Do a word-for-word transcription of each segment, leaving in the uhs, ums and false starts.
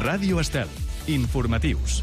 Ràdio Estel. Informatius.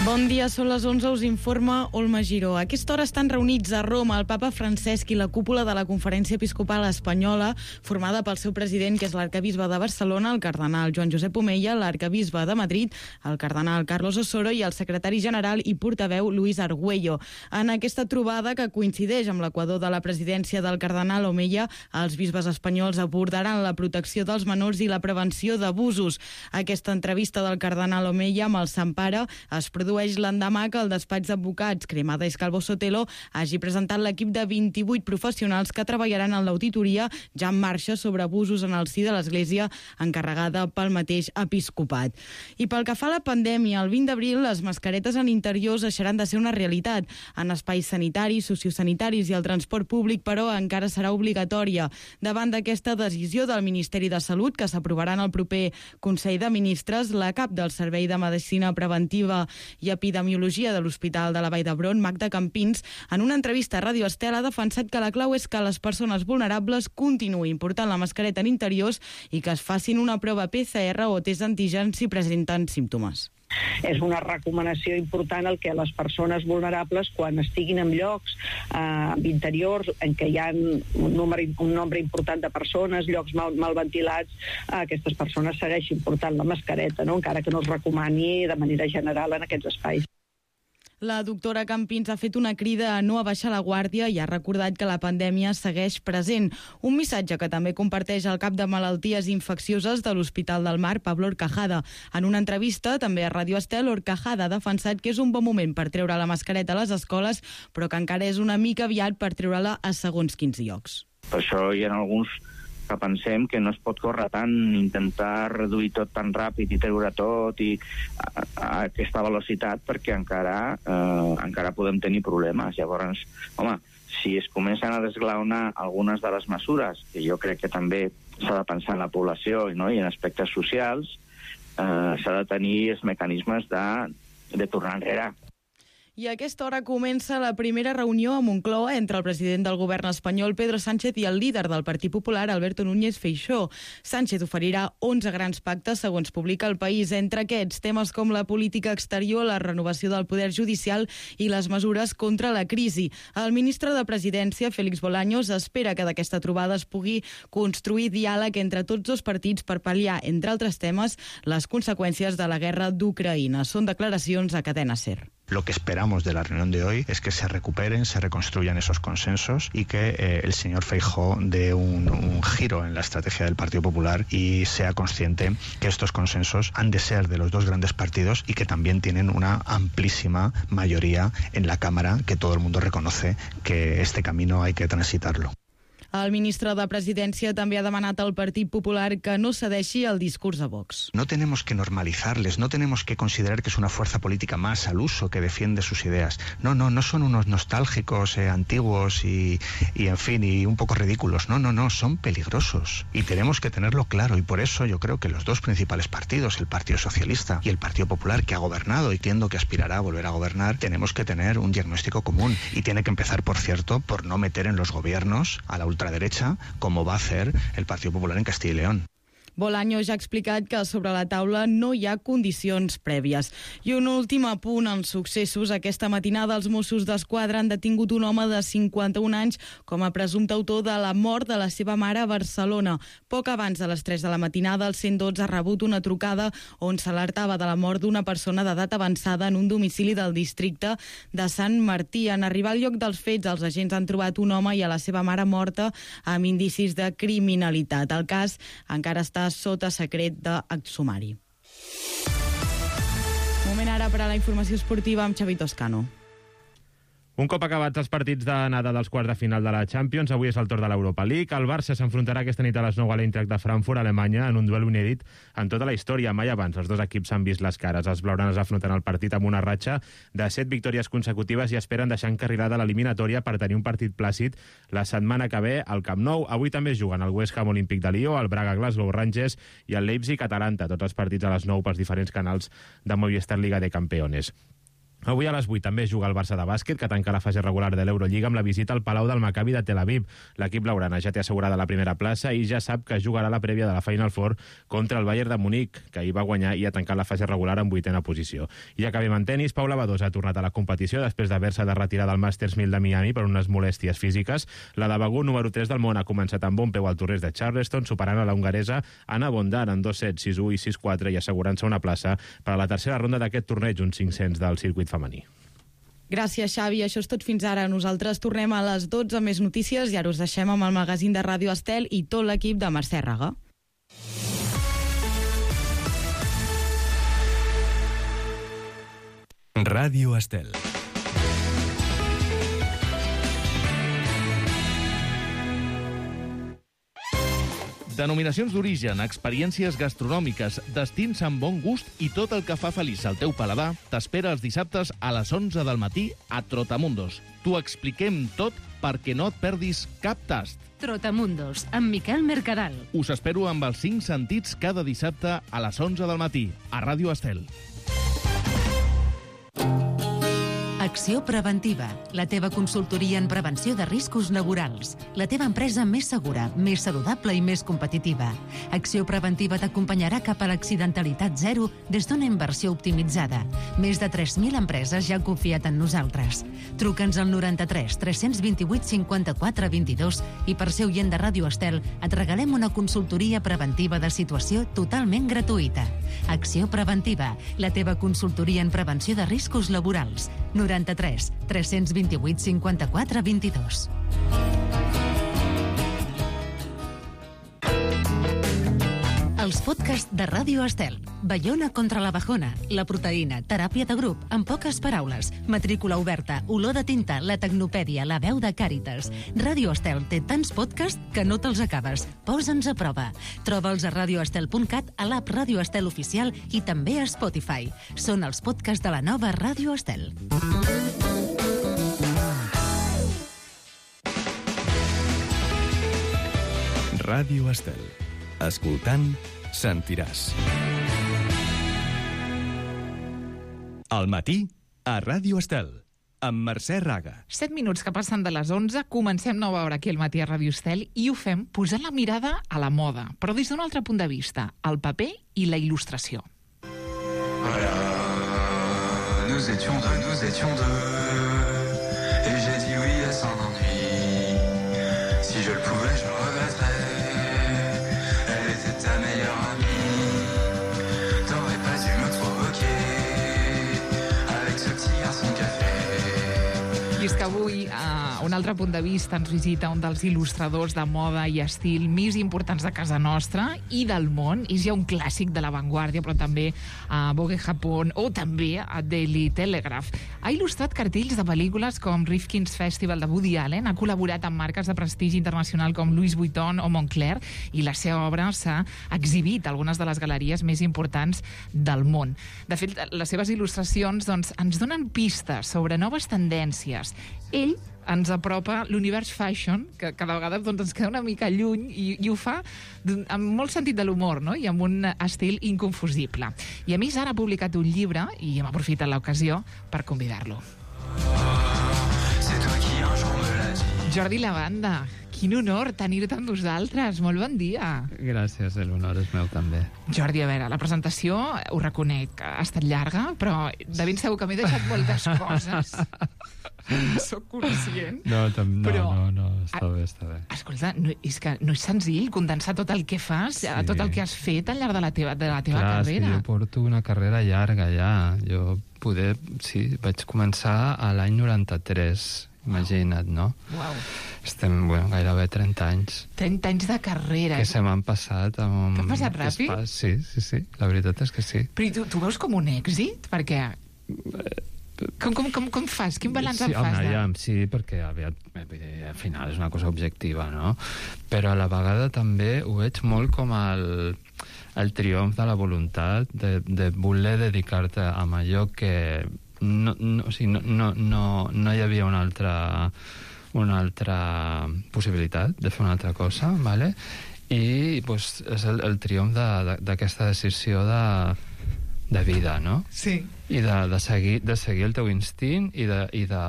Bon dia, són les onze, us informa Olma Giró. A aquesta hora estan reunits a Roma el papa Francesc i la cúpula de la Conferència Episcopal Espanyola, formada pel seu president, que és l'arcabisbe de Barcelona, el cardenal Joan Josep Omella, l'arcabisbe de Madrid, el cardenal Carlos Osoro i el secretari general i portaveu Luis Argüello. En aquesta trobada, que coincideix amb l'equador de la presidència del cardenal Omella, els bisbes espanyols abordaran la protecció dels menors i la prevenció d'abusos. Aquesta entrevista del cardenal Omella amb el Sant Pare es produeix l'endemà que el despatx d'advocats Cremada i Calvo Sotelo hagi presentat l'equip de vint-i-vuit professionals que treballaran en l'auditoria ja en marxa sobre abusos en el si de l'Església, encarregada pel mateix episcopat. I pel que fa a la pandèmia, el vint d'abril les mascaretes en interiors deixaran de ser una realitat. En espais sanitaris, sociosanitaris i el transport públic, però, encara serà obligatòria. Davant d'aquesta decisió del Ministeri de Salut, que s'aprovarà en el proper Consell de Ministres, la cap del Servei de Medicina Preventiva i Epidemiologia de l'Hospital de la Vall d'Hebron, Magda Campins, en una entrevista a Ràdio Estel ha defensat que la clau és que les persones vulnerables continuïn portant la mascareta en interiors i que es facin una prova P C R o test d'antígens si presenten símptomes. És una recomanació important el que les persones vulnerables, quan estiguin en llocs eh, interiors en què hi ha un nombre, un nombre important de persones, llocs mal, mal ventilats, eh, aquestes persones segueixin portant la mascareta, no? Encara que no es recomani de manera general en aquests espais. La doctora Campins ha fet una crida a no abaixar la guàrdia i ha recordat que la pandèmia segueix present. Un missatge que també comparteix el cap de malalties infeccioses de l'Hospital del Mar, Pablo Horcajada. En una entrevista, també a Ràdio Estel, Horcajada ha defensat que és un bon moment per treure la mascareta a les escoles, però que encara és una mica aviat per treure-la a segons quins llocs. Per això hi ha alguns que pensem que no es pot córrer tant, intentar reduir tot tan ràpid i treure tot i a, a aquesta velocitat, perquè encara eh, encara podem tenir problemes. Llavors, home, si es comencen a desglaonar algunes de les mesures, que jo crec que també s'ha de pensar en la població, no? I en aspectes socials, eh, s'ha de tenir els mecanismes de, de tornar enrere. I a aquesta hora comença la primera reunió a Moncloa entre el president del govern espanyol, Pedro Sánchez, i el líder del Partit Popular, Alberto Núñez Feixóo. Sánchez oferirà onze grans pactes, segons publica El País. Entre aquests, temes com la política exterior, la renovació del poder judicial i les mesures contra la crisi. El ministre de Presidència, Félix Bolaños, espera que d'aquesta trobada es pugui construir diàleg entre tots dos partits per pal·liar, entre altres temes, les conseqüències de la guerra d'Ucraïna. Són declaracions a Cadena SER. Lo que esperamos de la reunión de hoy es que se recuperen, se reconstruyan esos consensos y que eh, el señor Feijóo dé un, un giro en la estrategia del Partido Popular y sea consciente que estos consensos han de ser de los dos grandes partidos y que también tienen una amplísima mayoría en la Cámara, que todo el mundo reconoce que este camino hay que transitarlo. El ministre de Presidència també ha demanat al Partit Popular que no cedeixi al discurs de Vox. No tenemos que normalizarles, no tenemos que considerar que es una fuerza política más al uso que defiende sus ideas. No, no, no son unos nostálgicos, eh, antiguos y, y, en fin, y un poco ridículos. No, no, no, son peligrosos. Y tenemos que tenerlo claro. Y por eso yo creo que los dos principales partidos, el Partido Socialista y el Partido Popular, que ha gobernado y entiendo que aspirará a volver a gobernar, tenemos que tener un diagnóstico común. Y tiene que empezar, por cierto, por no meter en los gobiernos a la ultraderecha, como va a hacer el Partido Popular en Castilla y León. Bolaños ja ha explicat que sobre la taula no hi ha condicions prèvies. I un últim apunt en successos. Aquesta matinada els Mossos d'Esquadra han detingut un home de cinquanta-un anys com a presumpte autor de la mort de la seva mare a Barcelona. Poc abans de les tres de la matinada, el cent dotze ha rebut una trucada on s'alertava de la mort d'una persona d'edat avançada en un domicili del districte de Sant Martí. En arribar al lloc dels fets, els agents han trobat un home i a la seva mare morta amb indicis de criminalitat. El cas encara està sota secret d'exsumari. Moment ara per a la informació esportiva amb Xavi Toscano. Un cop acabats els partits d'anada dels quarts de final de la Champions, avui és el torn de l'Europa League. El Barça s'enfrontarà aquesta nit a les nou a l'Eintracht de Frankfurt, a Alemanya, en un duel inèdit en tota la història. Mai abans els dos equips s'han vist les cares. Els blaugranes afronten el partit amb una ratxa de set victòries consecutives i esperen deixar encarrilada l'eliminatòria per tenir un partit plàcid la setmana que ve al Camp Nou. Avui també es juguen el West Ham Olímpic de Lió, el Braga Glasgow Rangers i el Leipzig Atalanta, tots els partits a les nou pels diferents canals de Movistar Liga de Campeones. Avui a les vuit també juga el Barça de bàsquet, que tanca la fase regular de l'Eurolliga amb la visita al Palau del Maccabi de Tel Aviv. L'equip blaugrana ja té assegurada la primera plaça i ja sap que jugarà la prèvia de la Final Four contra el Bayern de Munic, que ahir va guanyar i ha tancat la fase regular en vuitena posició. I acabem en tenis. Paula Badosa ha tornat a la competició després d'haver-se de retirar del Masters mil de Miami per unes molèsties físiques. La de Bagú, número tres del món, ha començat amb bon peu al torneig de Charleston, superant a la hongaresa Anna Bondar en dos sets, sis u i sis quatre, i assegurant-se una plaça per a la tercera ronda d'aquest torneig, uns cinc-cents del circuit femení. Gràcies, Xavi. Això és tot fins ara. Nosaltres tornem a les dotze amb més notícies i ara us deixem amb el magazín de Ràdio Estel i tot l'equip de Mercè Raga. Ràdio Estel. Denominacions d'origen, experiències gastronòmiques, destins amb bon gust i tot el que fa feliç al teu paladar t'espera els dissabtes a les onze del matí a Trotamundos. T'ho expliquem tot perquè no et perdis cap tast. Trotamundos, amb Miquel Mercadal. Us espero amb els cinc sentits cada dissabte a les onze del matí a Ràdio Estel. Acció Preventiva, la teva consultoria en prevenció de riscos laborals. La teva empresa més segura, més saludable i més competitiva. Acció Preventiva t'acompanyarà cap a l'accidentalitat zero des d'una inversió optimitzada. Més de tres mil empreses ja han confiat en nosaltres. Truca'ns al noranta-tres tres cents vint-i-vuit cinquanta-quatre vint-i-dos i per ser oient de Ràdio Estel et regalem una consultoria preventiva de situació totalment gratuïta. Acció Preventiva, la teva consultoria en prevenció de riscos laborals. noranta-tres tres cents vint-i-vuit cinquanta-quatre vint-i-dos. Els podcasts de Ràdio Estel. Baiona contra la bajona, la proteïna, teràpia de grup, en poques paraules, matrícula oberta, olor de tinta, la tecnopèdia, la veu de Càritas. Ràdio Estel té tants podcasts que no te'ls acabes. Posa'ns a prova. Troba'ls a radioestel punt cat, a l'app Ràdio Estel Oficial i també a Spotify. Són els podcasts de la nova Ràdio Estel. Ràdio Estel. Escoltant, sentiràs. Al matí, a Ràdio Estel, amb Mercè Raga. Set minuts que passen de les onze, comencem nova hora aquí al matí a Ràdio Estel i ho fem posant la mirada a la moda, però des d'un altre punt de vista, el paper i la il·lustració. Voilà, nous étions deux, nous étions deux, et j'ai dit oui à son ennui. Si je le pouvais, je le regretterais. Elle était ta meilleure amie. T'aurais pas dû me provoquer avec ce petit garçon café. I és que avui, a un altre punt de vista, ens visita un dels il·lustradors de moda i estil més importants de casa nostra i del món. És ja un clàssic de l'avantguàrdia, però també a Vogue Japón o també a Daily Telegraph. Ha il·lustrat cartells de pel·lícules com Rifkin's Festival de Woody Allen, ha col·laborat amb marques de prestigi internacional com Louis Vuitton o Moncler, i la seva obra s'ha exhibit a algunes de les galeries més importants del món. De fet, les seves il·lustracions doncs, ens donen pistes sobre noves tendències. Ell ens apropa l'univers fashion, que cada vegada doncs, ens queda una mica lluny, i, i ho fa amb molt sentit de l'humor, no? I amb un estil inconfusible. I a més ara ha publicat un llibre i hem aprofitat l'ocasió per convidar-lo. Jordi Lavanda, quin honor tenir-te amb nosaltres. Molt bon dia. Gràcies, l'honor és meu també. Jordi, a veure, la presentació, ho reconec, ha estat llarga, però de ben segur que m'he deixat moltes coses. Soc conscient. No, tam, no, però, no, no, està bé, està bé. Escolta, no, és que no és senzill condensar tot el que fas, sí. tot el que has fet al llarg de la teva, de la teva Clar, carrera. Clar, jo porto una carrera llarga ja. Jo poder, sí, vaig començar a l'any noranta-tres, imagina't, no? Uau. Estem, bueno, gairebé trenta anys. trenta anys de carrera. Que se m'han passat amb... T'han passat ràpid? Pas... Sí, sí, sí, la veritat és que sí. Però tu, tu veus com un èxit? Perquè... Com, com, com, com fas? Quin balanç sí, en fas? Home, de... ja, sí, perquè aviat, al final és una cosa objectiva, no? Però a la vegada també ho veig molt com el, el triomf de la voluntat de, de voler dedicar-te a allò que no, no, o sigui, no, no, no, no hi havia una altra, una altra possibilitat de fer una altra cosa, ¿vale? I pues, és el, el triomf d'aquesta de, de, decisió de, de vida, no? Sí. i de, de, seguir, de seguir el teu instint i de, i de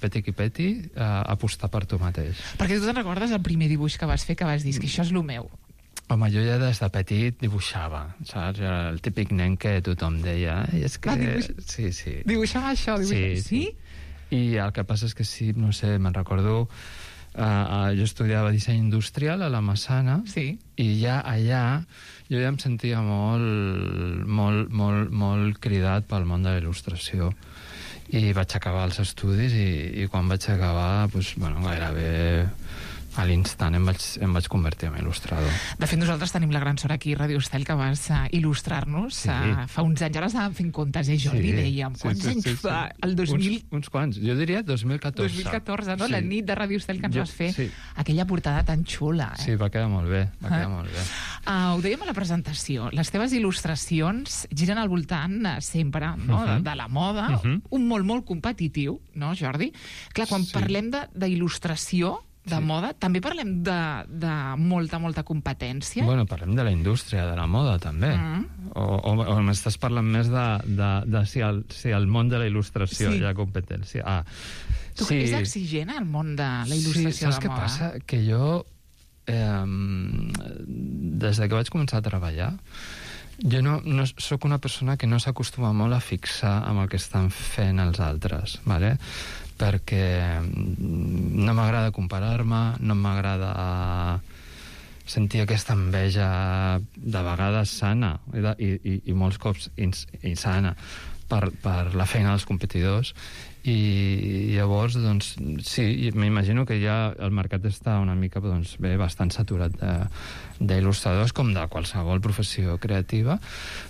peti qui peti eh, apostar per tu mateix. Perquè tu te'n recordes el primer dibuix que vas fer, que vas dir que això és el meu? Home, jo ja des de petit dibuixava, saps? Era el típic nen que tothom deia... És que... Ah, dibuix... Sí, sí. Dibuixava això? Dibuixava... Sí, sí. I el que passa és que sí, no sé, me'n recordo... Uh, uh, jo estudiava disseny industrial a la Massana, sí. I ja allà jo ja em sentia molt, molt, molt, molt cridat pel món de la il·lustració. I vaig acabar els estudis i, i quan vaig acabar, doncs, bueno, gairebé a l'instant em vaig, em vaig convertir en il·lustrador. De fet, nosaltres tenim la gran sort aquí a Radio Estel que vas uh, il·lustrar-nos sí. uh, fa uns anys. Ara estàvem fent comptes, eh, Jordi? Sí. Dèiem, quants sí, sí, anys sí, sí. fa? El dos mil... Uns, uns quants, jo diria dos mil catorze. dos mil catorze, no? Sí. La nit de Radio Estel que ens jo, vas fer. Sí. Aquella portada tan xula, eh? Sí, va quedar molt bé, va quedar uh. molt bé. Uh, ho dèiem a la presentació, les teves il·lustracions giren al voltant uh, sempre no? uh -huh. de, de la moda, uh -huh. un molt, molt competitiu, no, Jordi? Clar, quan sí. parlem d'il·lustració, de sí. moda, també parlem de, de molta, molta competència? Bueno, parlem de la indústria, de la moda, també. Mm. O, o, o m'estàs parlant més de, de, de si, el, si el món de la il·lustració sí. hi ha competència. Ah, tu sí. És exigent, el món de la il·lustració sí, saps de què moda? passa? Que jo, eh, des de que vaig començar a treballar, jo no, no sóc una persona que no s'acostuma molt a fixar amb el que estan fent els altres, ¿vale? Perquè no m'agrada comparar-me, no m'agrada sentir aquesta enveja de vegades sana i, de, i, i molts cops ins, insana per, per la feina dels competidors i llavors, doncs, sí, m'imagino que ja el mercat està una mica, doncs, bé, bastant saturat d'il·lustradors com de qualsevol professió creativa,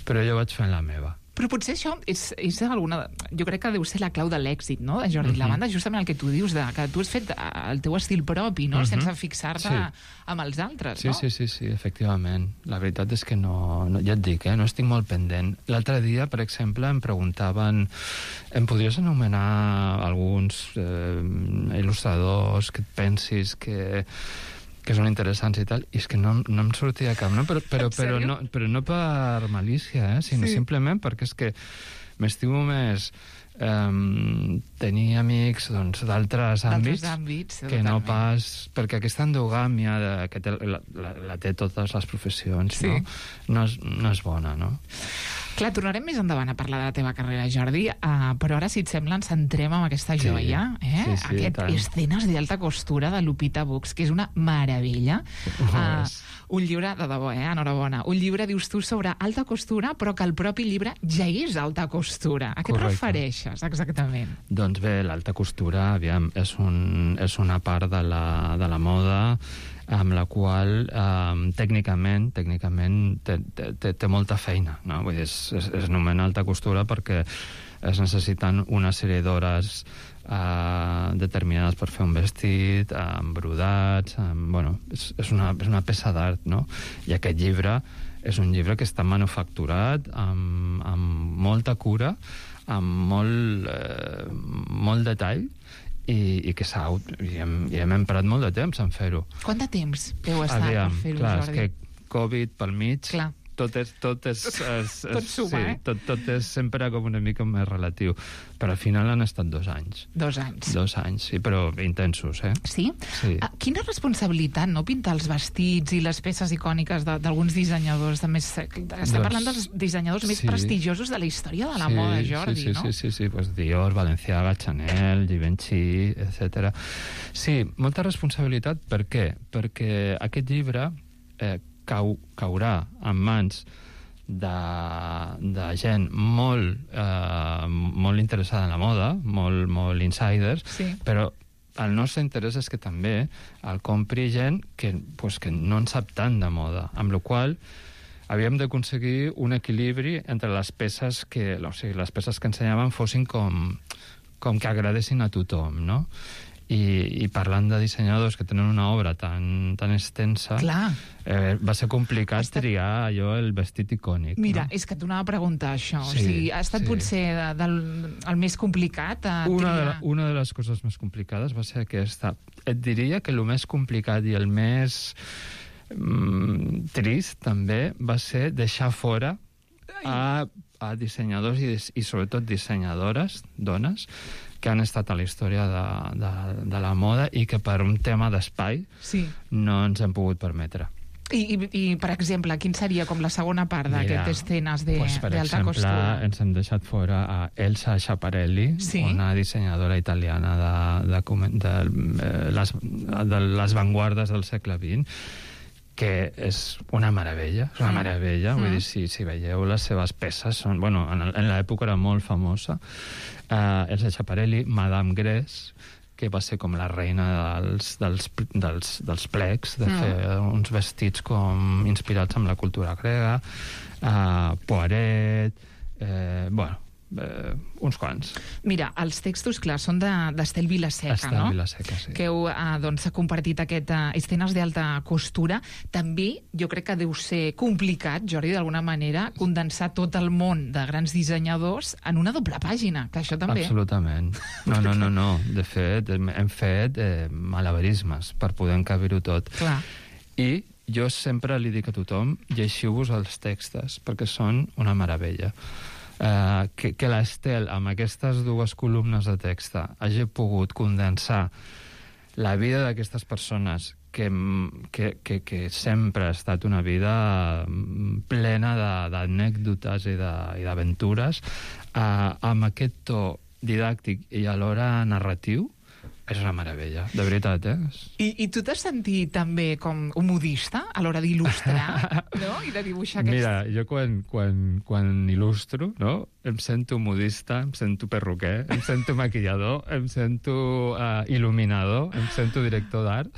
però jo vaig fent la meva. Però potser això és, és alguna... Jo crec que deu ser la clau de l'èxit, no?, de Jordi uh-huh. Lavanda, justament el que tu dius, de, que tu has fet el teu estil propi, no?, uh-huh. sense fixar-te sí. amb els altres, sí, no? Sí, sí, sí, efectivament. La veritat és que no... no ja et dic, eh, no estic molt pendent. L'altre dia, per exemple, em preguntaven... Em podries anomenar alguns eh, il·lustradors que et pensis que... que són interessants i tal, i és que no, no em sortia cap, no? Però, però, però, no, però no per malícia, eh? Sinó sí. simplement perquè és que m'estimo més eh, tenir amics doncs, d'altres àmbits, àmbits que no pas... Perquè aquesta endogàmia de, que té, la, la, la té totes les professions, sí. no? No és, no és bona, no? Clar, tornarem més endavant a parlar de la teva carrera, Jordi, uh, però ara, si et sembla, ens centrem en aquesta joia, sí, eh? Sí, sí, Aquest tant. Escenes d'alta costura de Lupita Books, que és una meravella. Uh, un llibre, de debò, eh? Enhorabona. Un llibre, dius tu, sobre alta costura, però que el propi llibre ja és alta costura. A què et refereixes, exactament? Doncs bé, l'alta costura, aviam, és, un, és una part de la, de la moda amb la qual eh, tècnicament tècnicament té, té, té molta feina, no? Vull dir, es, es, es anomena alta costura perquè es necessiten una sèrie d'hores eh, determinades per fer un vestit, amb brodats, amb, bueno, és, és, una, és una peça d'art, no? I aquest llibre és un llibre que està manufacturat amb, amb molta cura, amb molt, eh, molt detall, i, i que s'ha... I hem, i hem emprat molt de temps en fer-ho. Quant de temps heu estat Aviam, per fer-ho, clar, Jordi? És que Covid pel mig... Clar. Tot és... Tot, és, és, és tot suma, sí, eh? Tot, tot és sempre com una mica més relatiu. Però al final han estat dos anys. Dos anys. Dos anys, sí, però intensos, eh? Sí? Sí. Uh, quina responsabilitat, no?, pintar els vestits i les peces icòniques d'alguns dissenyadors de més... Estem doncs, parlant dels dissenyadors més sí. prestigiosos de la història de la sí, moda, Jordi, sí, sí, no? Sí, sí, sí, pues Dior, Balenciaga, Chanel, Givenchy, etcètera. Sí, molta responsabilitat. Per què? Perquè aquest llibre eh, cau, caurà en mans de, de gent molt, eh, molt interessada en la moda, molt, molt insiders, sí. Però el nostre interès és que també el compri gent que, pues, que no en sap tant de moda, amb la qual havíem d'aconseguir un equilibri entre les peces que, o sigui, les peces que ensenyaven fossin com, com que agradessin a tothom, no? I, i parlant de dissenyadors que tenen una obra tan, tan extensa, eh, va ser complicat estat... triar allò, el vestit icònic. Mira, no? És que t'anava a preguntar això. Sí, o sigui, ha estat sí. potser de, del, el més complicat a una triar... De la, una de les coses més complicades va ser aquesta. Et diria que el més complicat i el més mm, trist, també, va ser deixar fora a, a dissenyadors i, i sobretot dissenyadores, dones, que han estat a la història de, de, de la moda i que per un tema d'espai sí. no ens hem pogut permetre. I, i, I, per exemple, quin seria com la segona part d'aquestes escenes de, pues, per d'alta exemple, costura? ens hem deixat fora a Elsa Schiaparelli, sí. una dissenyadora italiana de, de, de, de, les, de les vanguardes del segle vint, que és una meravella, és una meravella, mm. vull dir, si, si veieu les seves peces, són, bueno, en, en l'època era molt famosa, uh, Elsa Schiaparelli, Madame Grès, que va ser com la reina dels, dels, dels, dels plecs, de mm. fer uns vestits com inspirats en la cultura grega, uh, Poiret, eh, bueno, eh, uns quants. Mira, els textos, clar, són d'Estel de, Vilaseca, Estel no? Vilaseca, sí. Que heu eh, doncs, compartit aquest uh, escenes d'alta costura. També jo crec que deu ser complicat, Jordi, d'alguna manera, condensar tot el món de grans dissenyadors en una doble pàgina, que això també... Absolutament. No, no, no, no. De fet, hem fet eh, malabarismes per poder encabir-ho tot. Clar. I jo sempre li dic a tothom, lleixiu-vos els textos, perquè són una meravella. Uh, que, que l'Estel, amb aquestes dues columnes de text, hagi pogut condensar la vida d'aquestes persones que, que, que, que sempre ha estat una vida plena d'anècdotes i d'aventures, uh, amb aquest to didàctic i alhora narratiu, és una meravella, de veritat, eh? I, i tu t'has sentit també com un modista a l'hora d'il·lustrar, no? I de dibuixar aquests... Mira, jo quan, quan, quan il·lustro, no? Em sento modista, em sento perruquer, em sento maquillador, em sento uh, il·luminador, em sento director d'art.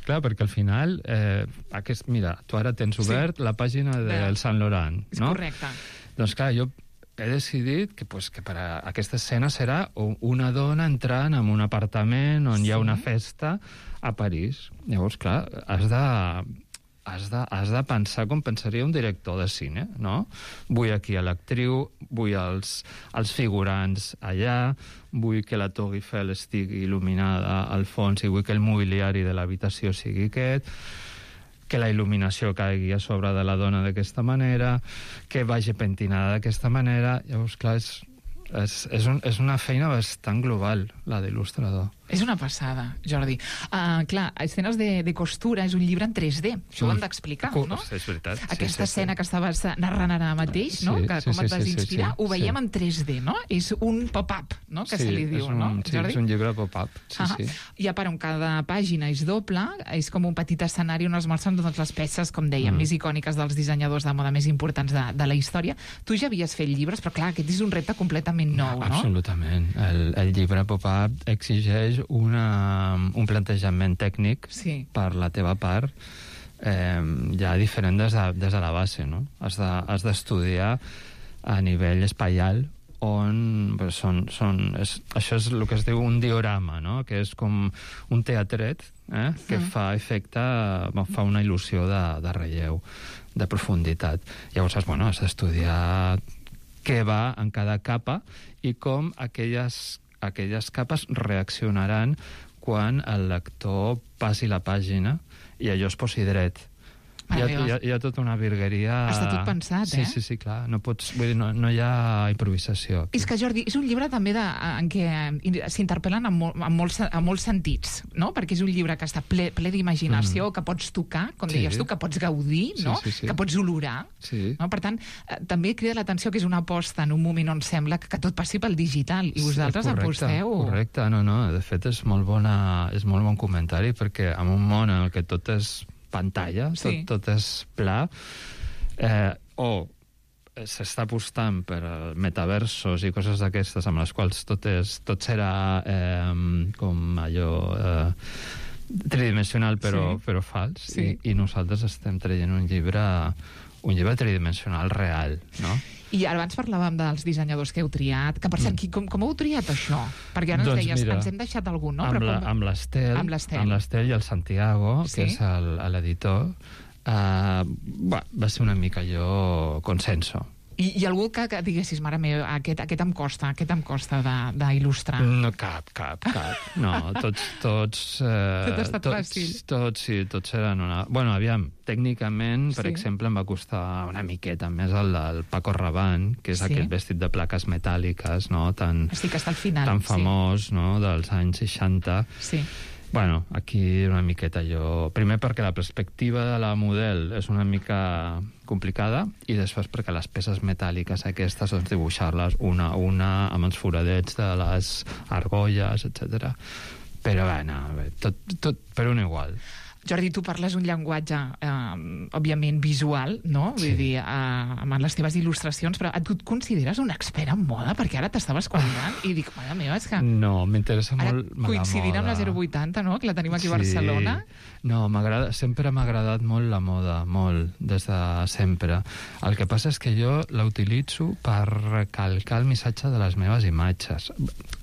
Clar, perquè al final, eh, aquest, mira, tu ara tens obert sí. la pàgina del Saint Laurent, no? És correcte. Doncs clar, jo he decidit que, pues, que per a aquesta escena serà una dona entrant en un apartament on sí. hi ha una festa a París. Llavors, clar, has de, has de, has de pensar com pensaria un director de cine, no? Vull aquí a l'actriu, vull els, els figurants allà, vull que la Torre Eiffel estigui il·luminada al fons i vull que el mobiliari de l'habitació sigui aquest, que la il·luminació caigui a sobre de la dona d'aquesta manera, que vagi pentinada d'aquesta manera. Llavors, clar, és, és, és, un, és una feina bastant global, la d'il·lustrador. És una passada, Jordi. Uh, clar, Escenes de, de costura és un llibre en tres D. Això ho hem d'explicar, uh, no? És veritat. Aquesta sí, sí, escena sí. que estaves narrant ara mateix, no? Sí, que sí, com et sí, vas sí, inspirar, sí, sí, ho veiem sí. en tres D, no? És un pop-up, no? Que sí, se li diu, un, no, sí, Jordi? és un llibre pop-up, sí, uh -huh. sí. I a part, on cada pàgina és doble, és com un petit escenari on es mostren totes les peces, com dèiem, mm. més icòniques dels dissenyadors de moda més importants de, de la història. Tu ja havies fet llibres, però clar, aquest és un repte completament nou, no? Absolutament. El, el llibre pop-up exigeix una, un plantejament tècnic sí. per la teva part eh, ja diferent des de, des de la base, no? Has de, has d'estudiar a nivell espaial on són, són, és, això és el que es diu un diorama, no? Que és com un teatret eh? que mm. fa efecte, fa una il·lusió de, de relleu, de profunditat. Llavors, bueno, has d'estudiar què va en cada capa i com aquelles, aquelles capes reaccionaran quan el lector passi la pàgina i allò es posi dret. Hi ha, hi, ha, hi ha tota una virgueria... Està tot pensat, sí, eh? Sí, sí, clar. No, pots, vull dir, no, no hi ha improvisació. Aquí. És que, Jordi, és un llibre també de, en què s'interpel·len en, mol, en, molts, en molts sentits, no? Perquè és un llibre que està ple, ple d'imaginació, mm. que pots tocar, com sí. deies tu, que pots gaudir, no? Sí, sí, sí. Que pots olorar. Sí. No? Per tant, eh, també crida l'atenció que és una aposta en un moment on sembla que, que tot passi pel digital, i vosaltres sí, correcte, aposteu... Correcte, no, no. De fet, és molt, bona, és molt bon comentari, perquè en un món en què tot és pantalla, sí. tot, tot és pla, eh, o s'està apostant per metaversos i coses d'aquestes amb les quals tot, és, tot serà eh, com allò eh, tridimensional però, sí. però fals, sí. I, i nosaltres estem traient un llibre un llibre tridimensional real, no? I abans parlàvem dels dissenyadors que heu triat, que per cert, mm. com, com heu triat això? Perquè ara ens doncs deies, mira, ens hem deixat algun, no? Amb, Però la, com... amb l'Estel, amb l'Estel. amb l'Estel i el Santiago, sí? que és l'editor, uh, va, va ser una mica allò consenso. I, i algú que, que diguessis, mare meva, aquest, aquest em costa, aquest em costa d'il·lustrar? No, cap, cap, cap. No, tots... tots eh, Tot ha estat tots, fàcil. Tots, sí, tots eren una... Bueno, aviam, tècnicament, per Sí. exemple, em va costar una miqueta més el del Paco Rabanne, que és Sí. aquest vestit de plaques metàl·liques, no?, tan, Estic que està al final. tan famós, no?, dels anys seixanta. Sí. Bueno, aquí una miqueta jo... Primer perquè la perspectiva de la model és una mica complicada i després perquè les peces metàl·liques aquestes, doncs dibuixar-les una a una amb els foradets de les argolles, etcètera. Però bé, no, bé, tot, tot per un igual. Jordi, tu parles un llenguatge, eh, òbviament, visual, no? Vull Sí. dir, eh, amb les teves il·lustracions, però tu et consideres un expert en moda? Perquè ara t'estaves qualificant i dic, mare meva, és que... No, m'interessa Ara, molt la coincidint moda. amb la zero vuitanta, no?, que la tenim aquí a Sí. Barcelona. No, m'agrada, sempre m'ha agradat molt la moda, molt, des de sempre. El que passa és que jo la utilitzo per recalcar el missatge de les meves imatges.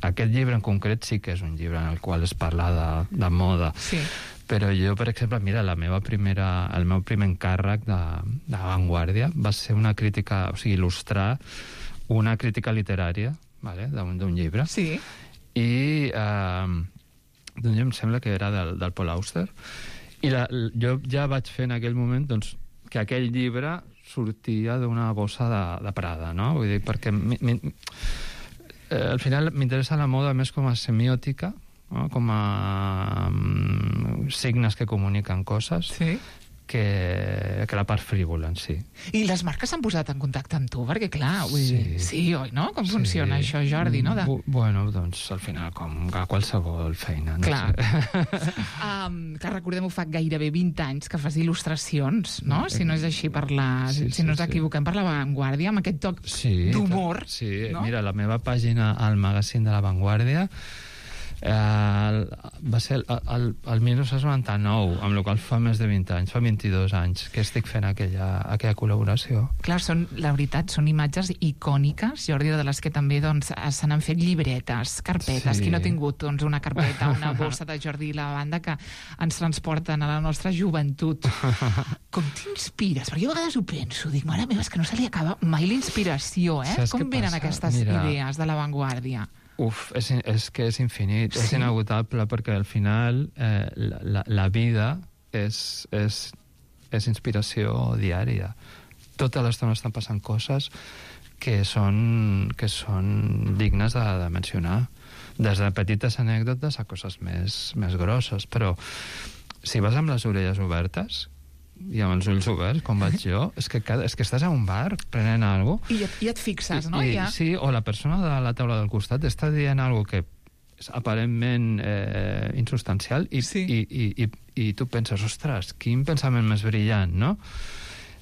Aquest llibre en concret sí que és un llibre en el qual es parla de, de moda. Sí. Però jo, per exemple, mira, la meva primera, el meu primer encàrrec de, de Vanguardia va ser una crítica, o sigui, il·lustrar una crítica literària, vale, d'un d'un llibre. Sí. I eh, d'un llibre, em sembla que era del, del Paul Auster, i la, jo ja vaig fer en aquell moment doncs, que aquell llibre sortia d'una bossa de, de Prada, no? Vull dir, perquè mi, mi, eh, al final m'interessa la moda més com a semiòtica, no? Com a um, signes que comuniquen coses, sí. que, que la part frívola en si. I les marques s'han posat en contacte amb tu, perquè clar, vull Sí. dir, sí, oi, no? Com Sí. funciona això, Jordi, no? De... Bu- Bueno, doncs al final com a qualsevol feina. No Clar. sé. Um, que recordem-ho, fa gairebé vint anys que fas il·lustracions, no? Si no és així per la... Sí, si sí, no ens sí. equivoquem, per la Vanguardia, amb aquest toc Sí, d'humor. Sí, no? mira, la meva pàgina al magazín de La Vanguardia eh, va ser el, el, el dinou noranta-nou, amb la qual fa més de vint anys, fa vint-i-dos anys que estic fent aquella, aquella col·laboració. Clar, són, la veritat, són imatges icòniques, Jordi, de les que també doncs, se n'han fet llibretes, carpetes. Sí. Qui no ha tingut doncs, una carpeta, una bossa de Jordi i la banda que ens transporten a la nostra joventut. Com t'inspires? Perquè jo a vegades ho penso, dic, mare meva, és que no se li acaba mai la inspiració, eh? Saps Com què venen passa? aquestes Mira, idees de la Vanguardia? Uf, és, és que és infinit, Sí. és inagotable, perquè al final eh, la, la, la vida és, és, és inspiració diària. Tota l'estona estan passant coses que són, que són dignes de, de mencionar. Des de petites anècdotes a coses més, més grosses. Però si vas amb les orelles obertes i amb els ulls oberts, com vaig jo, és que, cada, és que estàs a un bar prenent alguna cosa, I, i et fixes, no? I, Ja. sí, o la persona de la taula del costat està dient alguna que és aparentment eh, insubstancial i, Sí. i, i, i, i tu penses, ostres, quin pensament més brillant, no?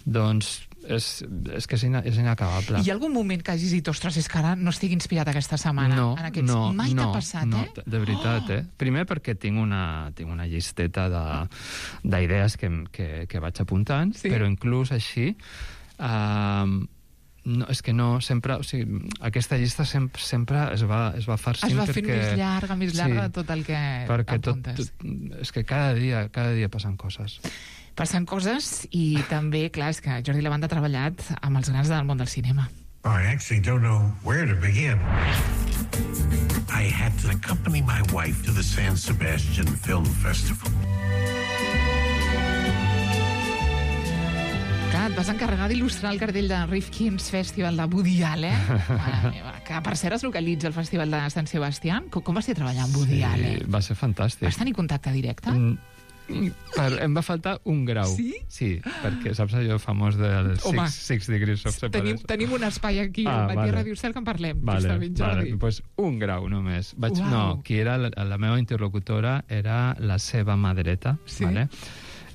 Doncs és, és que és, ina, és inacabable. Hi ha algun moment que hagis dit, ostres, és que ara no estic inspirat aquesta setmana No, en aquests... no, Mai no, t'ha passat, no, eh? de veritat, eh? Primer perquè tinc una, tinc una llisteta de- d'idees que, que, que vaig apuntant, Sí. però inclús així... Uh, no, és que no, sempre... O sigui, aquesta llista sempre, sempre es va, es va farcint Es va fent perquè... més llarga, més llarga Sí, de tot el que perquè tot, apuntes. tot, és que cada dia, cada dia passen coses. Passen coses i també, clar, és que Jordi Lavanda ha treballat amb els grans del món del cinema. I actually don't know where to begin. I had to accompany my wife to the San Sebastian Film Festival. Clar, et vas encarregar d'il·lustrar el cartell de Rifkin's Festival de Woody Allen, mare meva, que per cert es localitza al Festival de Sant Sebastián. Com, com va ser treballar amb Woody Sí, Allen? va ser fantàstic. Vas tenir contacte directe? Mm, Per, em va faltar un grau. Sí? Sí, perquè saps allò famós del Home, six, six degrees of Tenim, separation? tenim un espai aquí, Ah, al Matí vale. Ràdio Cel, que en parlem. Vale, justament, vale. Jordi. Pues un grau només. Vaig, Uau. no, qui era la, la meva interlocutora era la seva mà dreta, Sí. vale?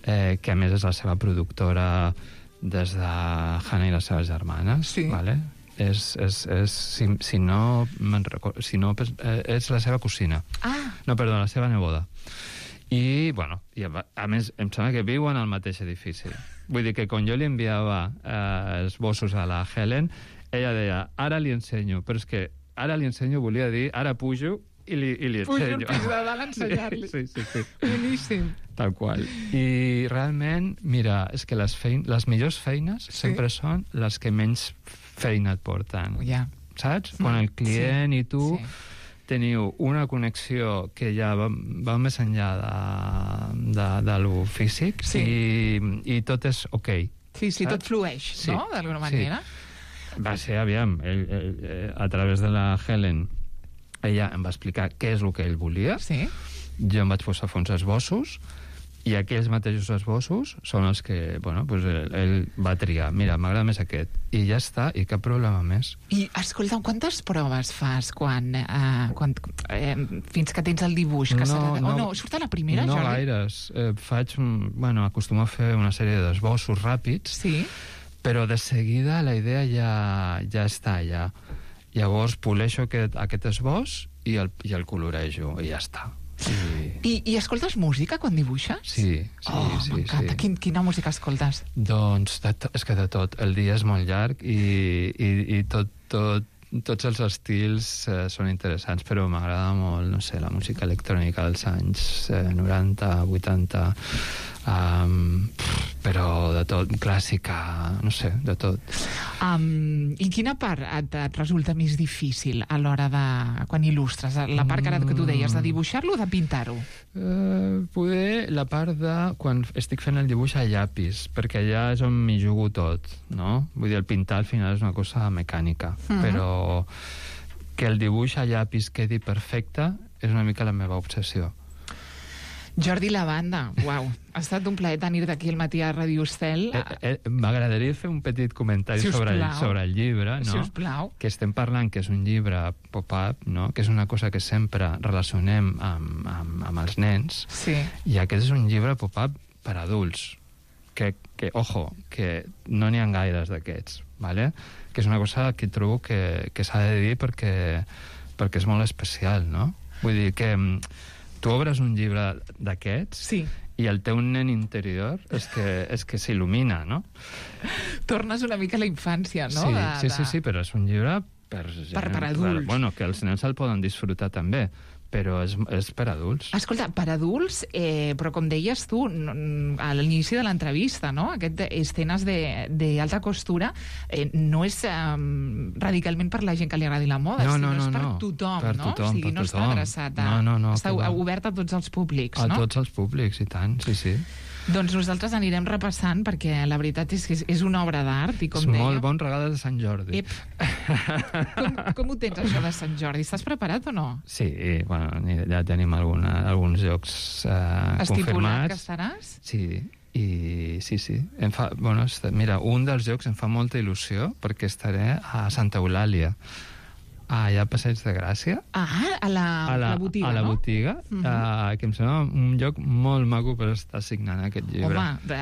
eh, que a més és la seva productora des de Hannah i les seves germanes. Sí. Vale? És, és, és, si, si no, me'n recordo, si no eh, és la seva cosina. Ah, No, perdó, la seva neboda. I, bueno, i a, a més, em sembla que viuen al mateix edifici. Vull dir que quan jo li enviava eh, els bossos a la Helen, ella deia, ara li ensenyo, però és que ara li ensenyo volia dir, ara pujo i li, i li pujo ensenyo. el pis de dalt a ensenyar-li. Sí, sí, sí. Boníssim. Tal qual. I realment, mira, és que les, fein les millors feines Sí. sempre són les que menys feina et porten. Ja. Saps? Quan el client sí. i tu sí. teniu una connexió que ja va, va més enllà de, de, de lo físic sí. i, i tot és ok. Sí, sí, saps? tot flueix, sí. no?, d'alguna manera. Sí. Va ser, aviam, ell, ell, a través de la Helen, ella em va explicar què és el que ell volia, sí. jo em vaig posar a fer uns esbossos, i aquells mateixos esbossos són els que, bueno, pues ell, ell va triar. Mira, m'agrada més aquest. I ja està, i cap problema més. I, escolta, quantes proves fas quan, eh, quan eh, fins que tens el dibuix? Que no, serà... no, oh, no, surt a la primera, no Jordi? No gaires. Eh, faig, bueno, acostumo a fer una sèrie d'esbossos ràpids, sí. però de seguida la idea ja, ja està allà. Llavors poleixo aquest, aquest esbós i el, i el colorejo, i ja està. Sí. I, I escoltes música quan dibuixes? Sí, sí, oh, sí. M'encanta. Sí. Quin, quina música escoltes? Doncs de to, és que de tot. El dia és molt llarg i, i, i tot, tot, tots els estils eh, són interessants, però m'agrada molt, no sé, la música electrònica dels anys eh, noranta, vuitanta, um, però de tot, clàssica, no sé, de tot. Um, I quina part et, et resulta més difícil a l'hora de... quan il·lustres? La part que ara que tu deies, de dibuixar-lo o de pintar-ho? Uh, poder la part de quan estic fent el dibuix a llapis, perquè allà és on m'hi jugo tot, no? Vull dir, el pintar al final és una cosa mecànica, uh-huh. però que el dibuix a llapis quedi perfecte és una mica la meva obsessió. Jordi Lavanda, uau, ha estat un plaer tenir-te aquí al matí a Ràdio Estel. Eh, eh, M'agradaria fer un petit comentari si sobre el, sobre el llibre, no? Si us plau. Que estem parlant que és un llibre pop-up, no? Que és una cosa que sempre relacionem amb, amb, amb els nens, sí. I aquest és un llibre pop-up per adults, que, que ojo, que no n'hi ha gaires d'aquests, ¿vale? Que és una cosa que trobo que, que s'ha de dir perquè, perquè és molt especial, no? Vull dir que tu obres un llibre d'aquests sí. i el teu nen interior és que, és que s'il·lumina, no? Tornes una mica a la infància, no? Sí, de, sí, de... sí, sí, però és un llibre per, per, per adults. Per, bueno, que els nens el poden disfrutar també, però és, és per adults. Escolta, per adults, eh, però com deies tu a l'inici de l'entrevista, no? Aquest escenes d'alta costura eh, no és eh, radicalment per la gent que li agradi la moda, no, sinó no, no, és per no. tothom, per no? Tothom, o sigui, per no tothom. està adreçat a... No, no, no, està no. obert a tots els públics, a no? A tots els públics, i tant, sí, sí. Doncs nosaltres anirem repassant, perquè la veritat és que és, és una obra d'art, i com és deia... molt bon regal de Sant Jordi. Ep. com, com ho tens, això de Sant Jordi? Estàs preparat o no? Sí, bueno, ja tenim alguna, alguns jocs eh, confirmats. Estipulat que estaràs? Sí, i sí, sí. Em fa, bueno, mira, un dels jocs em fa molta il·lusió perquè estaré a Santa Eulàlia, allà a Passeig de Gràcia. Ah, a la, a la, la botiga, a la no? botiga, uh -huh. uh, que em sembla un lloc molt maco per estar signant aquest llibre. Home, de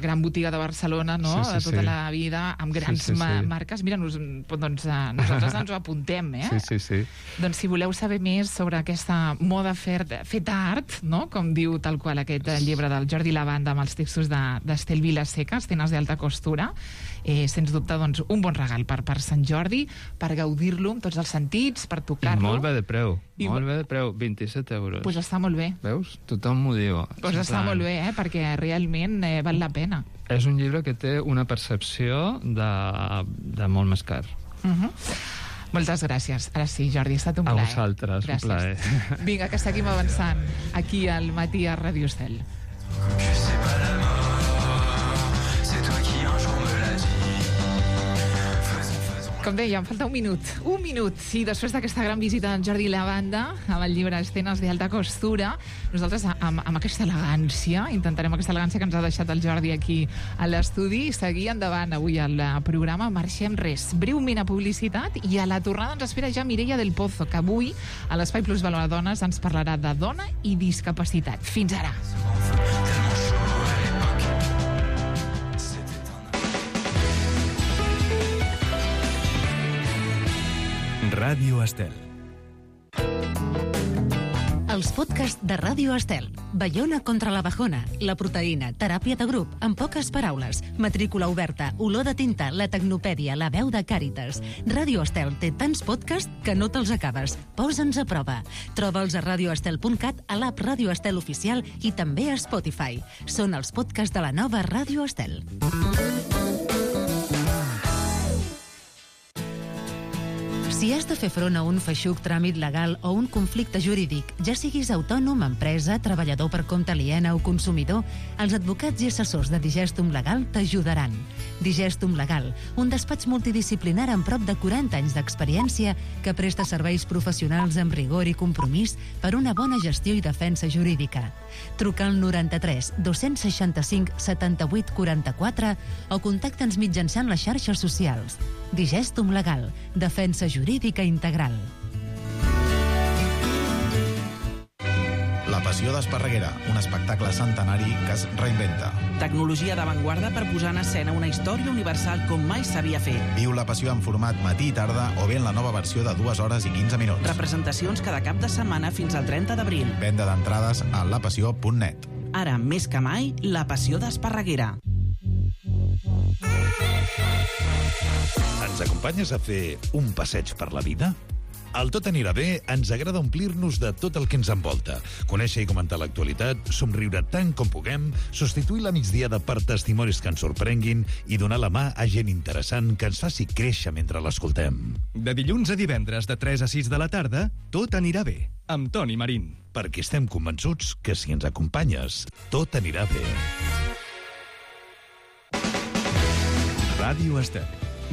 gran botiga de Barcelona, no? Sí, sí, de tota sí. la vida, amb grans sí, sí, sí. marques. Mira, nos, doncs, uh, nosaltres ens ho apuntem, eh? Sí, sí, sí. Doncs si voleu saber més sobre aquesta moda feta art, no? Com diu tal qual aquest llibre del Jordi Lavanda amb els textos d'Estel Vilaseca, Escenes d'alta costura, eh, sens dubte, doncs, un bon regal per, per Sant Jordi, per gaudir-lo amb tots els sentits, per tocar-lo. I molt bé de preu, I molt bé de preu, vint-i-set euros. Doncs pues està molt bé. Veus? Tothom m'ho diu. Doncs pues està molt bé, eh? Perquè realment eh, val la pena. És un llibre que té una percepció de, de molt més car. Uh -huh. Moltes gràcies. Ara sí, Jordi, ha estat un a plaer. A vosaltres, gràcies. Un plaer. Vinga, que seguim avançant aquí al matí a Ràdio Estel. Com deia, em falta un minut. Un minut. I després d'aquesta gran visita d'en Jordi Lavanda amb el llibre Escenes d'alta costura, nosaltres amb, amb aquesta elegància, intentarem aquesta elegància que ens ha deixat el Jordi aquí a l'estudi, seguir endavant avui al programa. Marxem res, breument a publicitat, i a la tornada ens espera ja Mireia del Pozo, que avui a l'Espai Plus Valor a Dones ens parlarà de dona i discapacitat. Fins ara. Ràdio Estel. Els podcasts de Ràdio Estel. Baiona contra la bajona, la proteïna, teràpia de grup, en poques paraules, matrícula oberta, olor de tinta, la tecnopèdia, la veu de Càritas. Ràdio Estel té tants podcasts que no te'ls acabes. Posa'ns a prova. Troba'ls a radioestel punt cat, a l'app Ràdio Estel Oficial i també a Spotify. Són els podcasts de la nova Ràdio Estel. Si has de fer front a un feixuc tràmit legal o un conflicte jurídic, ja siguis autònom, empresa, treballador per compte aliena o consumidor, els advocats i assessors de Digestum Legal t'ajudaran. Digestum Legal, un despatx multidisciplinar amb prop de quaranta anys d'experiència que presta serveis professionals amb rigor i compromís per una bona gestió i defensa jurídica. Truca al noranta-tres dos-cents seixanta-cinc setanta-vuit quaranta-quatre o contacta'ns mitjançant les xarxes socials. Digestum Legal, defensa jurídica integral. La Passió d'Esparreguera, un espectacle centenari que es reinventa. Tecnologia d'avantguarda per posar en escena una història universal com mai s'havia fet. Viu La Passió en format matí i tarda o bé en la nova versió de dues hores i quinze minuts. Representacions cada cap de setmana fins al trenta d'abril. Venda d'entrades a lapassió punt net. Ara, més que mai, La Passió d'Esparreguera. Ens acompanyes a fer un passeig per la vida? Al Tot anirà bé ens agrada omplir-nos de tot el que ens envolta, conèixer i comentar l'actualitat, somriure tant com puguem, substituir la migdiada per testimonis que ens sorprenguin i donar la mà a gent interessant que ens faci créixer mentre l'escoltem. De dilluns a divendres de tres a sis de la tarda, Tot anirà bé, amb Toni Marín. Perquè estem convençuts que si ens acompanyes, tot anirà bé. Ràdio Estel,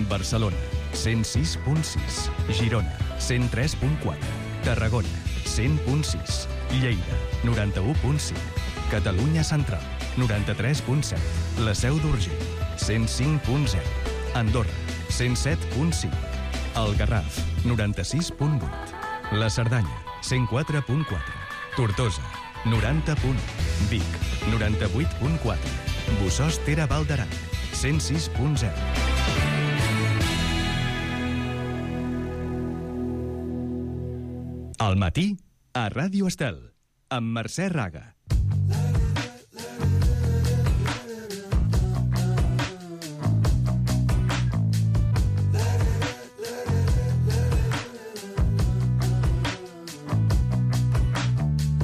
Barcelona, cent sis punt sis, Girona, cent tres punt quatre, Tarragona, cent punt sis, Lleida, noranta-u punt cinc, Catalunya Central, noranta-tres punt set, La Seu d'Urgell, cent cinc punt zero, Andorra, cent set punt cinc, El Garraf, noranta-sis punt vuit, La Cerdanya, cent quatre punt quatre, Tortosa, noranta punt u, Vic, noranta-vuit punt quatre, Bossòst Tere Val d'Aran, cent sis punt zero. Al matí, a Ràdio Estel, amb Mercè Raga.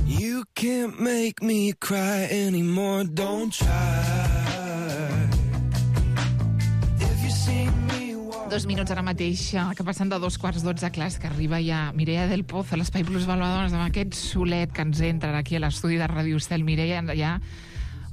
You can't make me cry anymore, don't try. Dos minuts ara mateix, que passen de dos quarts dotze, clar, que arriba ja Mireia del Pozo, l'Espai Plus Valvadones, amb aquest solet que ens entra aquí a l'estudi de Ràdio Estel. Mireia, ja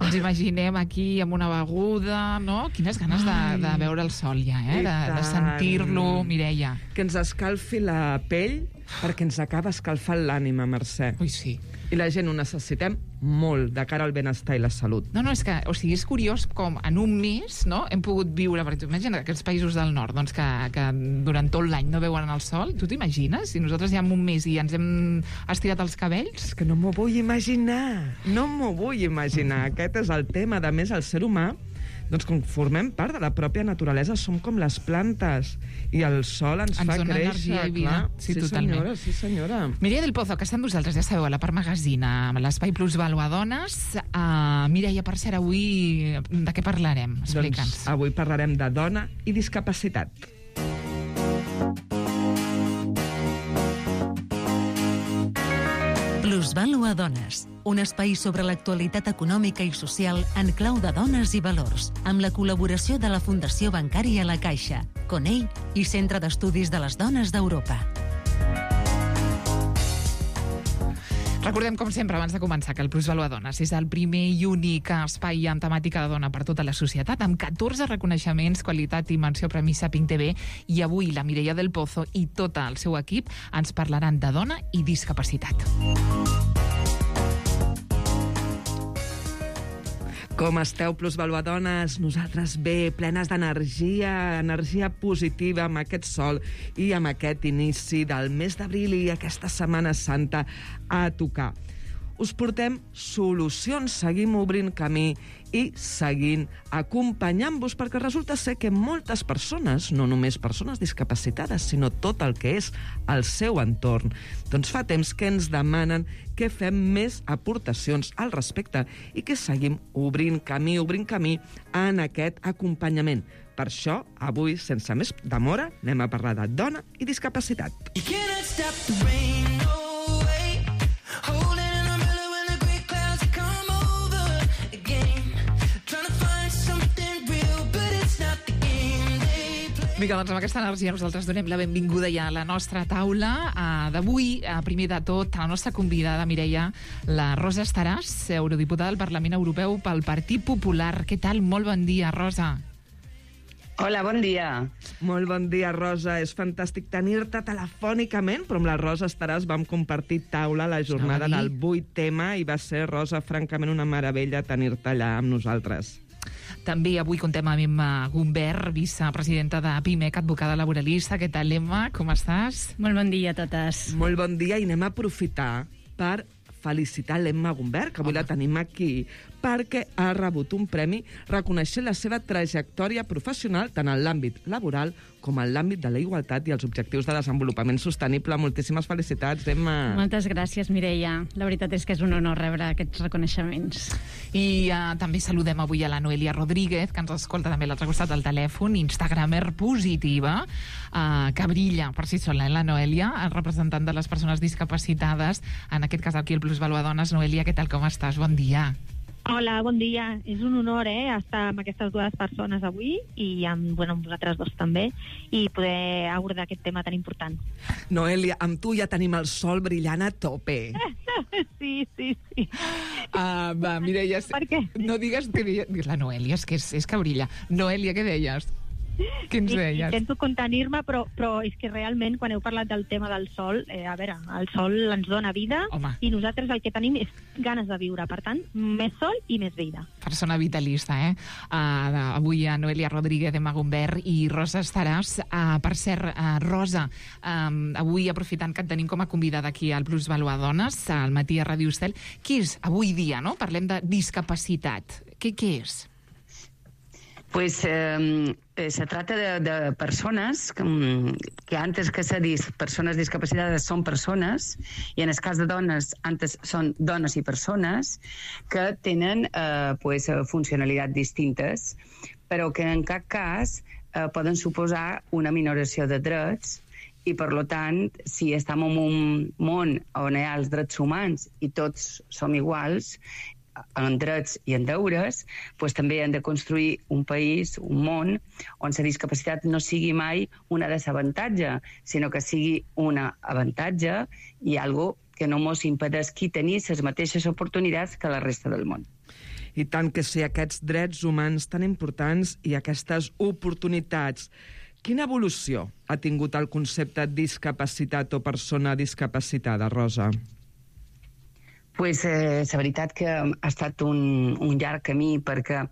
ens imaginem aquí amb una beguda, no? Quines ganes de, de veure el sol ja, eh? De, de sentir-lo, Mireia. Que ens escalfi la pell perquè ens acaba escalfant l'ànima, Mercè. Ui, sí. I la gent ho necessitem molt de cara al benestar i la salut. No, no, és que, o sigui, és curiós com en un mes, no?, hem pogut viure, per exemple, imagina aquests països del nord, doncs, que, que durant tot l'any no veuen el sol. Tu t'imagines? Si nosaltres ja en un mes i ens hem estirat els cabells? És que no m'ho vull imaginar. No m'ho vull imaginar. Aquest és el tema. A més, el ser humà, doncs com formem part de la pròpia naturalesa, som com les plantes, i el sol ens, ens fa créixer, clar. Sí, sí, totalment. Senyora, sí, senyora. Mireia del Pozo, que està amb vosaltres, ja sabeu, a la Part Magazine, a l'Espai Plus Valvadones. Uh, Mireia, per cert, avui de què parlarem? Explica'ns. Doncs avui parlarem de dona i discapacitat. Plusvàlua Dones, un espai sobre l'actualitat econòmica i social en clau de dones i valors, amb la col·laboració de la Fundació Bancària La Caixa, Conell i Centre d'Estudis de les Dones d'Europa. Recordem, com sempre, abans de començar, que el Plusvàlua Dones és el primer i únic espai en temàtica de dona per tota la societat, amb catorze reconeixements, qualitat i menció Premi Saping T V, i avui la Mireia del Pozo i tot el seu equip ens parlaran de dona i discapacitat. Com esteu, Plusvàluadones? Nosaltres bé, plenes d'energia, energia positiva amb aquest sol i amb aquest inici del mes d'abril i aquesta Setmana Santa a tocar. Us portem solucions, seguim obrint camí i seguint acompanyant-vos, perquè resulta ser que moltes persones, no només persones discapacitades, sinó tot el que és el seu entorn, doncs fa temps que ens demanen que fem més aportacions al respecte i que seguim obrint camí, obrint camí en aquest acompanyament. Per això, avui, sense més demora, anem a parlar de dona i discapacitat. You cannot stop the rain, no way. Holding an umbrella when the great clouds come over again. Trying to find something real, but it's not the game they play. Vinga, doncs amb aquesta energia nosaltres donem la benvinguda ja a la nostra taula uh, d'avui. Uh, primer de tot, a la nostra convidada, Mireia, la Rosa Estaràs, eurodiputada del Parlament Europeu pel Partit Popular. Què tal? Molt bon dia, Rosa. Hola, bon dia. Molt bon dia, Rosa. És fantàstic tenir-te telefònicament, però amb la Rosa Estaràs vam compartir taula a la jornada del vuit tema i va ser, Rosa, francament una meravella tenir-te allà amb nosaltres. També avui contem amb Emma Gumbert, vicepresidenta de PIMEC, advocada laboralista. Què tal, Emma? Com estàs? Molt bon dia a totes. Molt bon dia i anem a aprofitar per felicitar l'Emma Gumbert, que avui la tenim aquí, perquè ha rebut un premi reconeixent la seva trajectòria professional tant en l'àmbit laboral com en l'àmbit de la igualtat i els objectius de desenvolupament sostenible. Moltíssimes felicitats, Emma. Moltes gràcies, Mireia. La veritat és que és un honor rebre aquests reconeixements. I uh, també saludem avui a la Noelia Rodríguez, que ens escolta també a l'altre costat del telèfon, instagramer positiva, uh, que brilla per si sola, eh, la Noelia, representant de les persones discapacitades, en aquest cas aquí el Plusvaluadones. Noelia, què tal, com estàs? Bon dia. Hola, bon dia. És un honor eh, estar amb aquestes dues persones avui i amb, bueno, amb vosaltres dos també i poder abordar aquest tema tan important. Noelia, amb tu ja tenim el sol brillant a tope. Sí, sí, sí. Uh, va, Mireia, per què? No digues que deia... La Noelia, és que, és, és que brilla. Noelia, què deies? Què ens deies? Intento contenir-me, però, però és que realment, quan heu parlat del tema del sol, eh, a veure, el sol ens dona vida. Home. I nosaltres el que tenim és ganes de viure. Per tant, més sol i més vida. Persona vitalista, eh? Uh, avui a Noelia Rodríguez, Emma Gumbert i Rosa Estaràs. Uh, per cert, uh, Rosa, um, avui aprofitant que et tenim com a convidada aquí al Plusvaluadones, al matí a Ràdio Estel, què és avui dia, no? Parlem de discapacitat. Què, què és? Pues eh, se trata de, de personas que, que antes que ser dis, persones discapacitades són persones, i en el cas de dones antes són dones i persones que tenen eh, pues, funcionalitats distintes, però que en cap cas eh, poden suposar una minoració de drets. I, per tant, si estem en un món on hi ha els drets humans i tots som iguals, en drets i en deures, doncs també hem de construir un país, un món, on la discapacitat no sigui mai una desavantatge, sinó que sigui una avantatge i algo que no mos impedesqui tenir les mateixes oportunitats que la resta del món. I tant que sí, aquests drets humans tan importants i aquestes oportunitats. Quina evolució ha tingut el concepte discapacitat o persona discapacitada, Rosa? Pues, eh, la veritat que ha estat un, un llarg camí, perquè,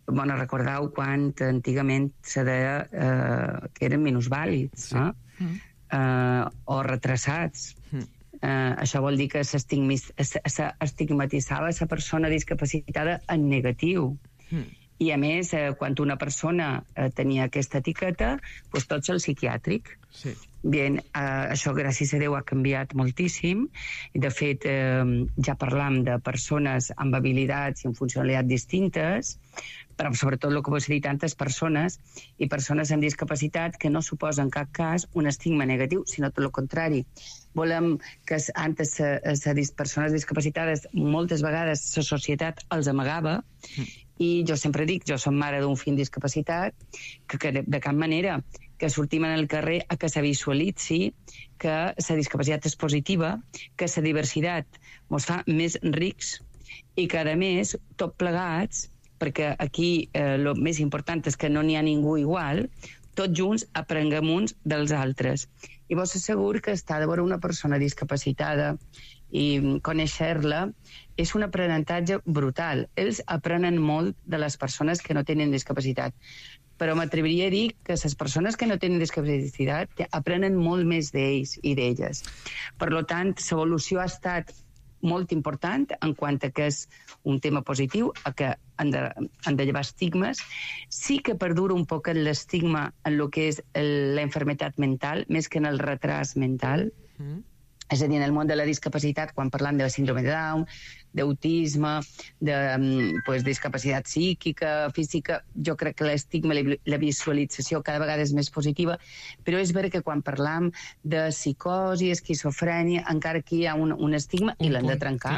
bueno, recordeu quan antigament se deia eh, que eren minusvàlids, sí. eh? Mm. Eh, o retrasats. Mm. Eh, això vol dir que s'estigmatitzava la persona discapacitada en negatiu. Mm. I, a més, eh, quan una persona eh, tenia aquesta etiqueta, doncs tot és el psiquiàtric. Sí. Bien, eh, això, gràcies a Déu, ha canviat moltíssim. I, de fet, eh, ja parlam de persones amb habilitats i amb funcionalitats distintes, però sobretot el que vos he dit, tantes persones i persones amb discapacitat que no suposa en cap cas un estigma negatiu, sinó tot el contrari. Volem que antes les persones discapacitades moltes vegades la societat els amagava, mm. i jo sempre dic, jo som mare d'un fill discapacitat, que, que de, de cap manera que sortim en el carrer a que se visualitzi que la discapacitat és positiva, que la diversitat ens fa més rics i que, a més, tot plegats, perquè aquí el eh, més important és que no n'hi ha ningú igual, tots junts aprenguem uns dels altres. I vos asseguro que estar de veure una persona discapacitada i conèixer-la és un aprenentatge brutal. Ells aprenen molt de les persones que no tenen discapacitat, però m'atreviria a dir que les persones que no tenen discapacitat aprenen molt més d'ells i d'elles. Per tant, l'evolució ha estat molt important en quant a que és un tema positiu, a que han de, han de llevar estigmes. Sí que perdura un poc l'estigma en el que és el, la enfermetat mental, més que en el retras mental. Mm. És a dir, en el món de la discapacitat, quan parlam de la síndrome de Down, d'autisme, de pues, discapacitat psíquica, física. Jo crec que l'estigma, la visualització cada vegada és més positiva, però és vera que quan parlam de psicosi, esquizofrènia, encara aquí hi ha un, un estigma un i l'hem de trencar.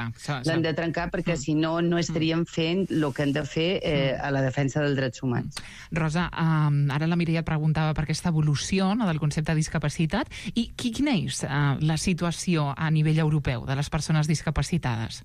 L'hem de trencar perquè mm. si no, no estaríem fent el que hem de fer eh, a la defensa dels drets humans. Rosa, um, ara la Mireia et preguntava per aquesta evolució, no, del concepte de discapacitat, i quina és uh, la situació a nivell europeu de les persones discapacitades?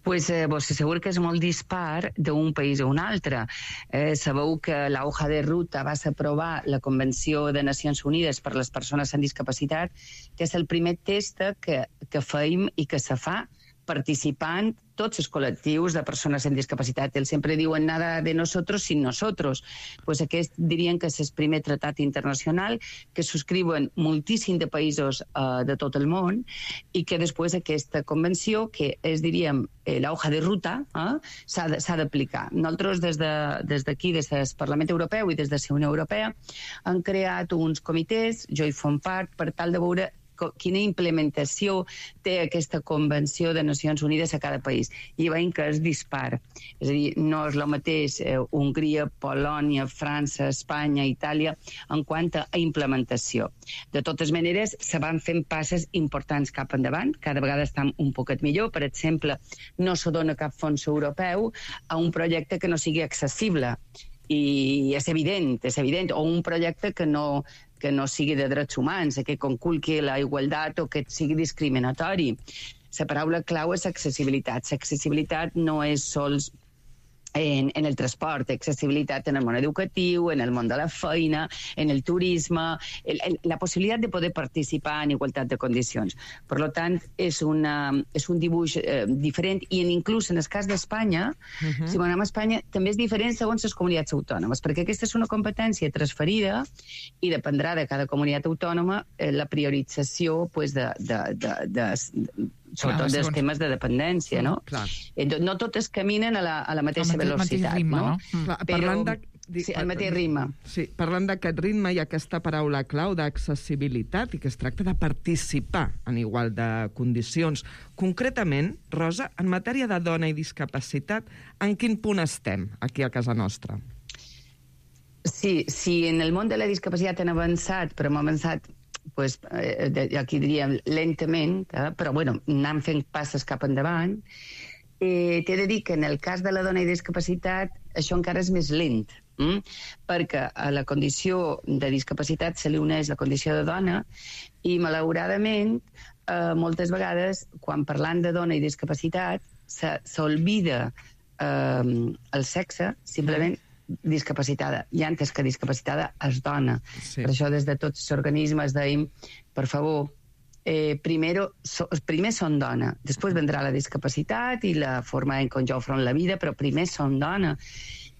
Pues eh, vos asseguro que és molt dispar d'un país a un altre. Eh, sabeu que la hoja de ruta va aprovar la Convenció de Nacions Unides per les persones amb discapacitat, que és el primer test que, que feim i que se fa participant tots els col·lectius de persones amb discapacitat. Ells sempre diuen nada de nosotros sin nosotros. Pues aquest dirien que és el primer tractat internacional que subscriuen moltíssim de països uh, de tot el món i que després aquesta convenció, que és, diríem, eh, la hoja de ruta, eh, s'ha d'aplicar. Nosaltres des d'aquí, de, des del Parlament Europeu i des de la Unió Europea, han creat uns comitès, jo hi form part, per tal de veure quina implementació té aquesta Convenció de Nacions Unides a cada país. I veiem que es dispara. És a dir, no és el mateix eh, Hongria, Polònia, França, Espanya, Itàlia, en quant a implementació. De totes maneres, se van fent passes importants cap endavant, cada vegada estan un poquet millor. Per exemple, no se dona cap fons europeu a un projecte que no sigui accessible. I és evident, és evident, o un projecte que no, que no sigui de drets humans, que conculqui la igualtat o que sigui discriminatori. La paraula clau és accessibilitat. L'accessibilitat no és sols en, en el transport, accessibilitat en el món educatiu, en el món de la feina, en el turisme, el, el, la possibilitat de poder participar en igualtat de condicions. Per tant, és, una, és un dibuix eh, diferent i en, inclús en el cas d'Espanya, uh-huh. si anem a Espanya, també és diferent segons les comunitats autònomes, perquè aquesta és una competència transferida i dependrà de cada comunitat autònoma eh, la priorització pues, de, de, de, de, de sobretot clar, dels segons... temes de dependència, no? Clar. No totes caminen a la, a la mateixa mateix, velocitat, ritme, no? no? Clar, Però, parlant de... sí, al mateix ritme. Sí, parlant d'aquest ritme i aquesta paraula clau d'accessibilitat i que es tracta de participar en igual de condicions. Concretament, Rosa, en matèria de dona i discapacitat, en quin punt estem aquí a casa nostra? Sí, sí, en el món de la discapacitat han avançat, però hem avançat pues, eh, aquí diríem lentament, eh, però bueno, anem fent passes cap endavant. Eh, T'he de dir que en el cas de la dona i discapacitat això encara és més lent, hm? perquè a la condició de discapacitat se li uneix la condició de dona i malauradament eh, moltes vegades quan parlant de dona i discapacitat s'olvida eh, el sexe, simplement discapacitada. I antes que discapacitada és dona. Sí. Per això des de tots els organismes deim, per favor, eh, primero, so, primer són dona, després vendrà la discapacitat i la forma en com jo afront la vida, però primer són dona.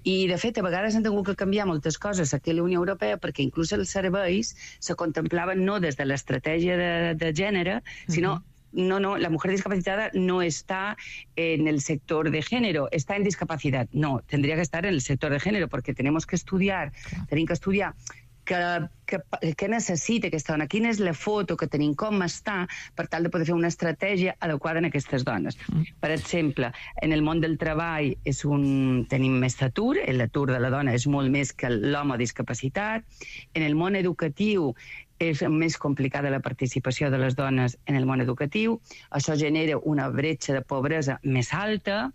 I, de fet, a vegades han tingut que canviar moltes coses aquí a la Unió Europea perquè inclús els serveis se contemplaven no des de l'estratègia de, de gènere, sinó uh-huh. No, no, la mujer discapacitada no está en el sector de género, está en discapacidad. No, tendría que estar en el sector de género porque tenemos que estudiar, claro. tenim que estudiar que, que, que necessita aquesta dona, quina és la foto que tenim, com està, per tal de poder fer una estratègia adequada en aquestes dones. Mm. Per exemple, en el món del treball és un, tenim més atur, l'atur de la dona és molt més que l'home discapacitat. En el món educatiu és més complicada la participació de les dones en el món educatiu. Això genera una bretxa de pobresa més alta.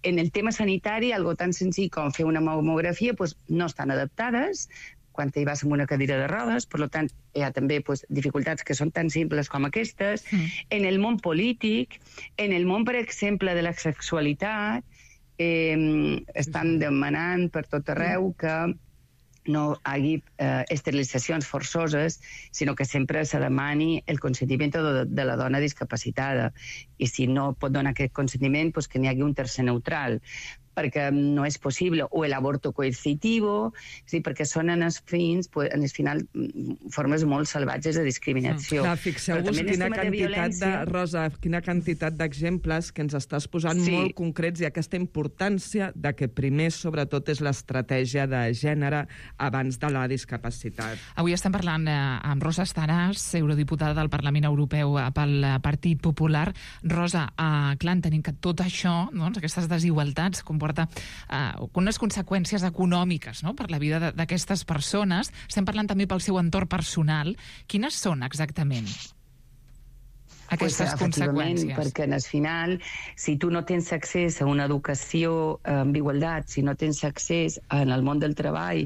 En el tema sanitari, algo tan senzill com fer una mamografia, pues, no estan adaptades quan hi vas amb una cadira de rodes, per tant, hi ha també pues, dificultats que són tan simples com aquestes. Mm. En el món polític, en el món, per exemple, de la sexualitat, eh, estan demanant per tot arreu que no hi hagi eh, esterilitzacions forçoses, sinó que sempre se demani el consentiment de, de la dona discapacitada. I si no pot donar aquest consentiment, pues que n'hi hagi un tercer neutral. perquè no és possible, o el aborto coercitivo, és dir, perquè són en els fins, pues, en el final, formes molt salvatges de discriminació. Clar, fixeu-vos quina de quantitat de, violència... Rosa, quina quantitat d'exemples que ens estàs posant Sí. molt concrets i aquesta importància de que primer, sobretot, és l'estratègia de gènere abans de la discapacitat. Avui estem parlant eh, amb Rosa Estaràs, eurodiputada del Parlament Europeu eh, pel Partit Popular. Rosa, eh, clar, entenem que tot això, doncs, aquestes desigualtats, comporta eh, unes conseqüències econòmiques, no?, per la vida d'aquestes persones. Estem parlant també pel seu entorn personal. Quines són exactament aquestes pues, conseqüències? Perquè al final, si tu no tens accés a una educació amb igualtat, si no tens accés en el món del treball,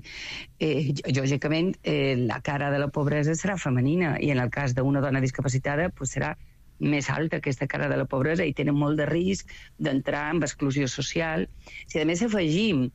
eh, lògicament eh, la cara de la pobresa serà femenina, i en el cas d'una dona discapacitada pues, serà més alta aquesta cara de la pobresa i tenen molt de risc d'entrar en exclusió social. Si a més afegim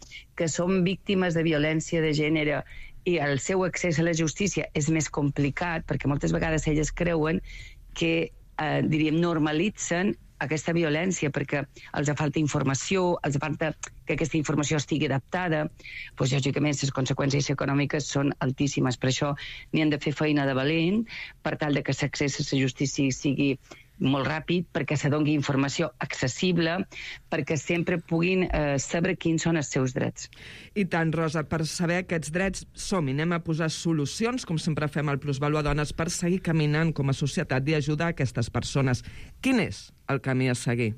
que són víctimes de violència de gènere i el seu accés a la justícia és més complicat, perquè moltes vegades elles creuen que Eh, diríem, normalitzen aquesta violència perquè els falta informació, els falta que aquesta informació estigui adaptada, doncs, lògicament, les conseqüències econòmiques són altíssimes. Per això n'hi han de fer feina de valent, per tal de que l'accés a la justícia sigui molt ràpid, perquè se doni informació accessible, perquè sempre puguin eh, saber quins són els seus drets. I tant, Rosa, per saber aquests drets som-hi, anem a posar solucions, com sempre fem al Plusvalua Dones, per seguir caminant com a societat i ajudar aquestes persones. Quin és el camí a seguir?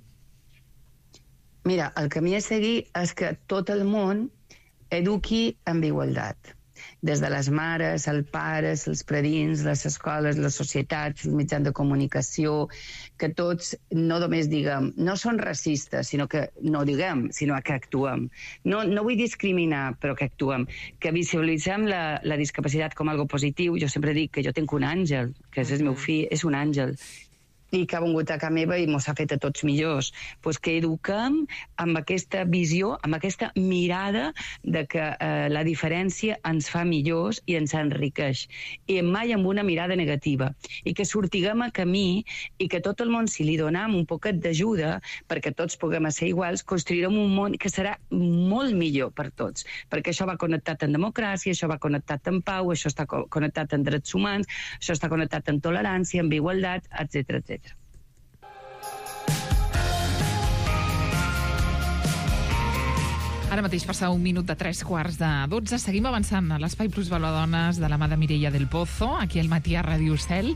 Mira, el camí a seguir és que tot el món eduqui amb igualtat. Des de les mares, els pares, els predins, les escoles, les societats, els mitjans de comunicació, que tots no només diguem, no són racistes, sinó que no diguem, sinó que actuem. No, no vull discriminar, però que actuem. Que visualitzem la, la discapacitat com algo positiu. Jo sempre dic que jo tinc un àngel, que és el meu fill, és un àngel, i que ha vingut a casa meva i mos ha fet a tots millors. Pues que eduquem amb aquesta visió, amb aquesta mirada de que eh, la diferència ens fa millors i ens enriqueix. I mai amb una mirada negativa. I que sortiguem a camí i que tot el món, si li donem un poquet d'ajuda perquè tots puguem ser iguals, construirem un món que serà molt millor per tots. Perquè això va connectat amb democràcia, això va connectat amb pau, això està connectat amb drets humans, això està connectat amb tolerància, amb igualtat, etcètera, etcètera. Ara mateix passa un minut de tres quarts de dotze. Seguim avançant a l'Espai Plusvalua Dones de la mà de Mireia del Pozo, aquí al matí a Ràdio Cel.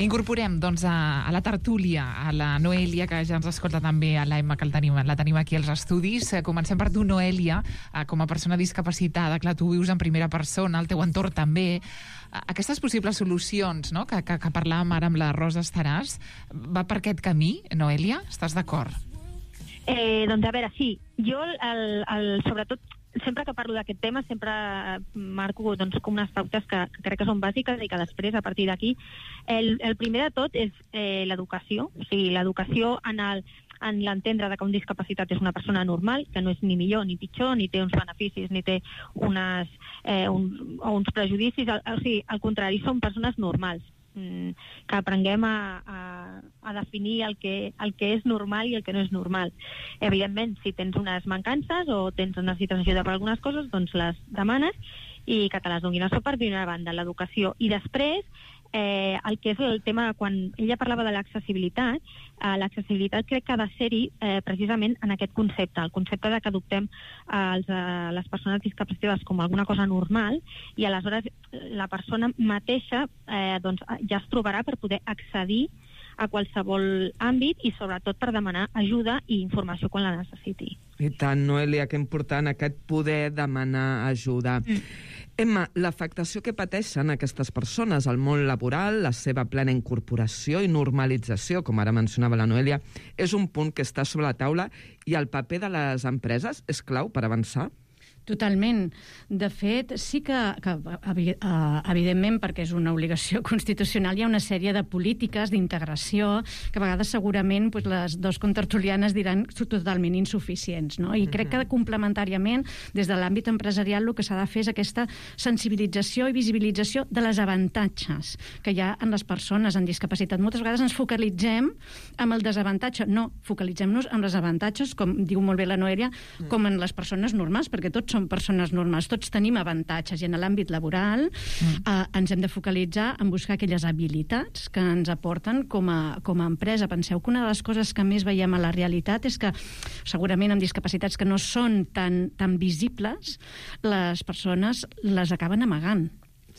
Incorporem doncs, a, a la tertúlia a la Noelia, que ja ens escolta també, a l'Emma, que el tenim, la tenim aquí als estudis. Comencem per tu, Noelia, com a persona discapacitada. Clar, tu vius en primera persona, el teu entorn també. Aquestes possibles solucions, no?, que, que, que parlàvem ara amb la Rosa Estaràs, va per aquest camí, Noelia? Estàs d'acord? Eh, doncs a veure, sí. Jo, el, el, sobretot, sempre que parlo d'aquest tema, sempre marco doncs, com unes pautes que, que crec que són bàsiques i que després, a partir d'aquí, el, el primer de tot és eh, l'educació. O sigui, l'educació en el en l'entendre que un discapacitat és una persona normal, que no és ni millor ni pitjor, ni té uns beneficis, ni té unes, eh, un, o uns prejudicis. O, o sigui, al contrari, són persones normals. Que aprenguem a, a, a definir el que, el que és normal i el que no és normal. Evidentment, si tens unes mancances o tens necessites ajuda per algunes coses, doncs les demanes i que te les donin. Això per d'una banda, l'educació. I després, eh, el que és el tema, quan ella parlava de l'accessibilitat, eh, l'accessibilitat crec que ha de ser-hi eh, precisament en aquest concepte, el concepte de que adoptem els, eh, les persones discapacitades com alguna cosa normal, i aleshores la persona mateixa eh, doncs, ja es trobarà per poder accedir a qualsevol àmbit i sobretot per demanar ajuda i informació quan la necessiti. I tant, Noelia, que important aquest poder demanar ajuda. Mm. Emma, l'afectació que pateixen aquestes persones al món laboral, la seva plena incorporació i normalització, com ara mencionava la Noelia, és un punt que està sobre la taula, i el paper de les empreses és clau per avançar? Totalment. De fet, sí que, que evidentment, perquè és una obligació constitucional, hi ha una sèrie de polítiques d'integració que a vegades segurament doncs, les dos contertulianes diran totalment insuficients. No? I crec que complementàriament, des de l'àmbit empresarial, el que s'ha de fer és aquesta sensibilització i visibilització de les avantatges que hi ha en les persones amb discapacitat. Moltes vegades ens focalitzem en el desavantatge. No, focalitzem-nos en les avantatges, com diu molt bé la Noelia, com en les persones normals, perquè tots som persones normals, tots tenim avantatges, i en l'àmbit laboral mm. eh, ens hem de focalitzar en buscar aquelles habilitats que ens aporten com a, com a empresa. Penseu que una de les coses que més veiem a la realitat és que segurament amb discapacitats que no són tan, tan visibles, les persones les acaben amagant.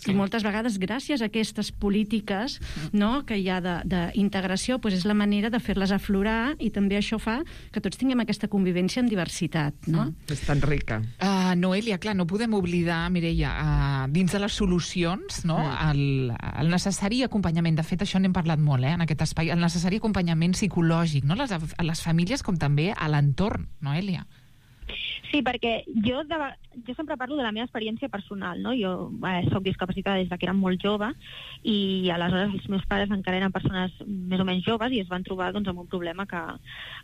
Sí. I moltes vegades, gràcies a aquestes polítiques no, que hi ha d'integració, doncs és la manera de fer-les aflorar, i també això fa que tots tinguem aquesta convivència amb diversitat. No? Mm. És tan rica. Uh, Noelia, clar, no podem oblidar, Mireia, uh, dins de les solucions, no, mm. el, el necessari acompanyament. De fet, això n'hem parlat molt, eh, en aquest espai, el necessari acompanyament psicològic, no? les, a les famílies com també a l'entorn, Noelia. Sí, perquè jo, de, jo sempre parlo de la meva experiència personal, no? Jo eh, soc discapacitada des que era molt jove, i aleshores els meus pares encara eren persones més o menys joves i es van trobar doncs, amb un problema que...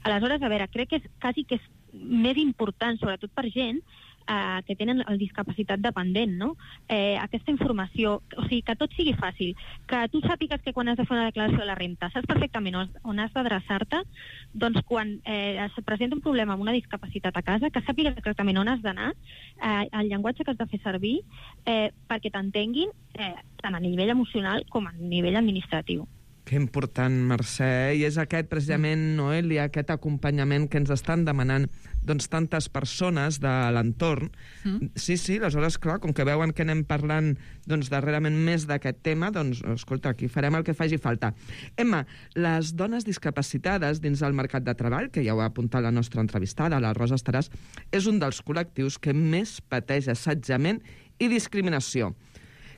Aleshores, a veure, crec que és quasi que és més important, sobretot per gent eh, que tenen el discapacitat dependent, no? Eh, aquesta informació, o sigui, que tot sigui fàcil, que tu sàpigues que quan has de fer una declaració de la renta saps perfectament on, on has d'adreçar-te, doncs quan eh, es presenta un problema amb una discapacitat a casa, que sàpigues exactament on has d'anar, eh, el llenguatge que has de fer servir, eh, perquè t'entenguin eh, tant a nivell emocional com a nivell administratiu. Que important, Mercè. I és aquest, precisament, Noelia, aquest acompanyament que ens estan demanant doncs, tantes persones de l'entorn. Mm. Sí, sí, aleshores, clar, com que veuen que anem parlant doncs, darrerament més d'aquest tema, doncs, escolta, aquí farem el que faci falta. Emma, les dones discapacitades dins del mercat de treball, que ja ho ha apuntat la nostra entrevistada, la Rosa Estaràs, és un dels col·lectius que més pateix assetjament i discriminació.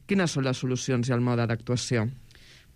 Quines són les solucions i el mode d'actuació?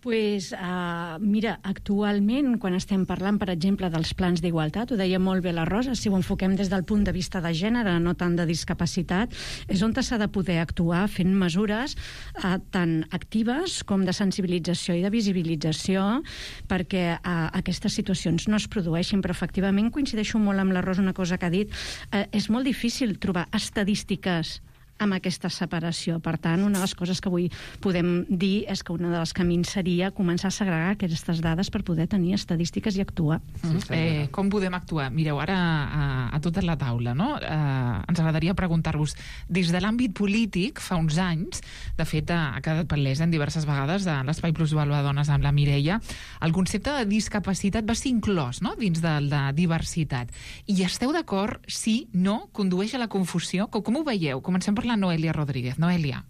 Pues, uh, mira, actualment, quan estem parlant, per exemple, dels plans d'igualtat, ho deia molt bé la Rosa, si ho enfoquem des del punt de vista de gènere, no tant de discapacitat, és on s'ha de poder actuar fent mesures uh, tan actives com de sensibilització i de visibilització perquè uh, aquestes situacions no es produeixin. Però, efectivament, coincideixo molt amb la Rosa, una cosa que ha dit, uh, és molt difícil trobar estadístiques amb aquesta separació. Per tant, una de les coses que avui podem dir és que un dels camins seria començar a segregar aquestes dades per poder tenir estadístiques i actuar. Mm. Eh, com podem actuar? Mireu, ara a, a tota la taula, no? Eh, ens agradaria preguntar-vos, des de l'àmbit polític, fa uns anys, de fet, ha quedat palès en diverses vegades de l'Espai Plus Dones amb la Mireia, el concepte de discapacitat va ser inclòs, no?, dins de la diversitat. I esteu d'acord, sí, no, condueix a la confusió? Com, com ho veieu? Comencem per la Noelia Rodríguez. Noelia.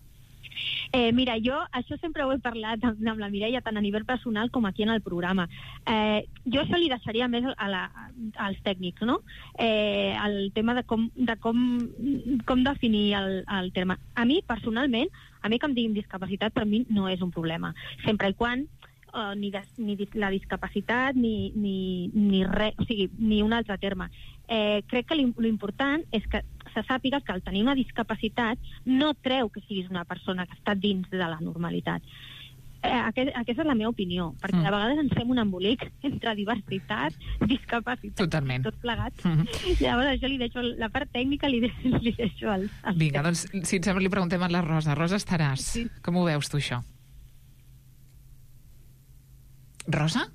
Eh, mira, jo això sempre ho he parlat amb, amb la Mireia, tant a nivell personal com aquí en el programa. Eh, jo això li deixaria més a la, als tècnics, no? Eh, el tema de com, de com, com definir el, el terme. A mi, personalment, a mi que em diguin discapacitat, per mi no és un problema. Sempre i quan Uh, ni, des, ni la discapacitat ni, ni, ni res, o sigui, ni un altre terme. Eh, crec que l'important és que se sàpiga que al tenir una discapacitat no treu que siguis una persona que està dins de la normalitat. Eh, aquest, aquesta és la meva opinió, perquè mm. a vegades ens fem un embolic entre diversitat, discapacitat, totalment, tot plegat. Mm -hmm. Llavors això li deixo, la part tècnica li deixo, li deixo al, al Vinga, doncs, si et sembla, li preguntem a la Rosa. Rosa Estaràs, sí. Com ho veus tu, això? Rosa?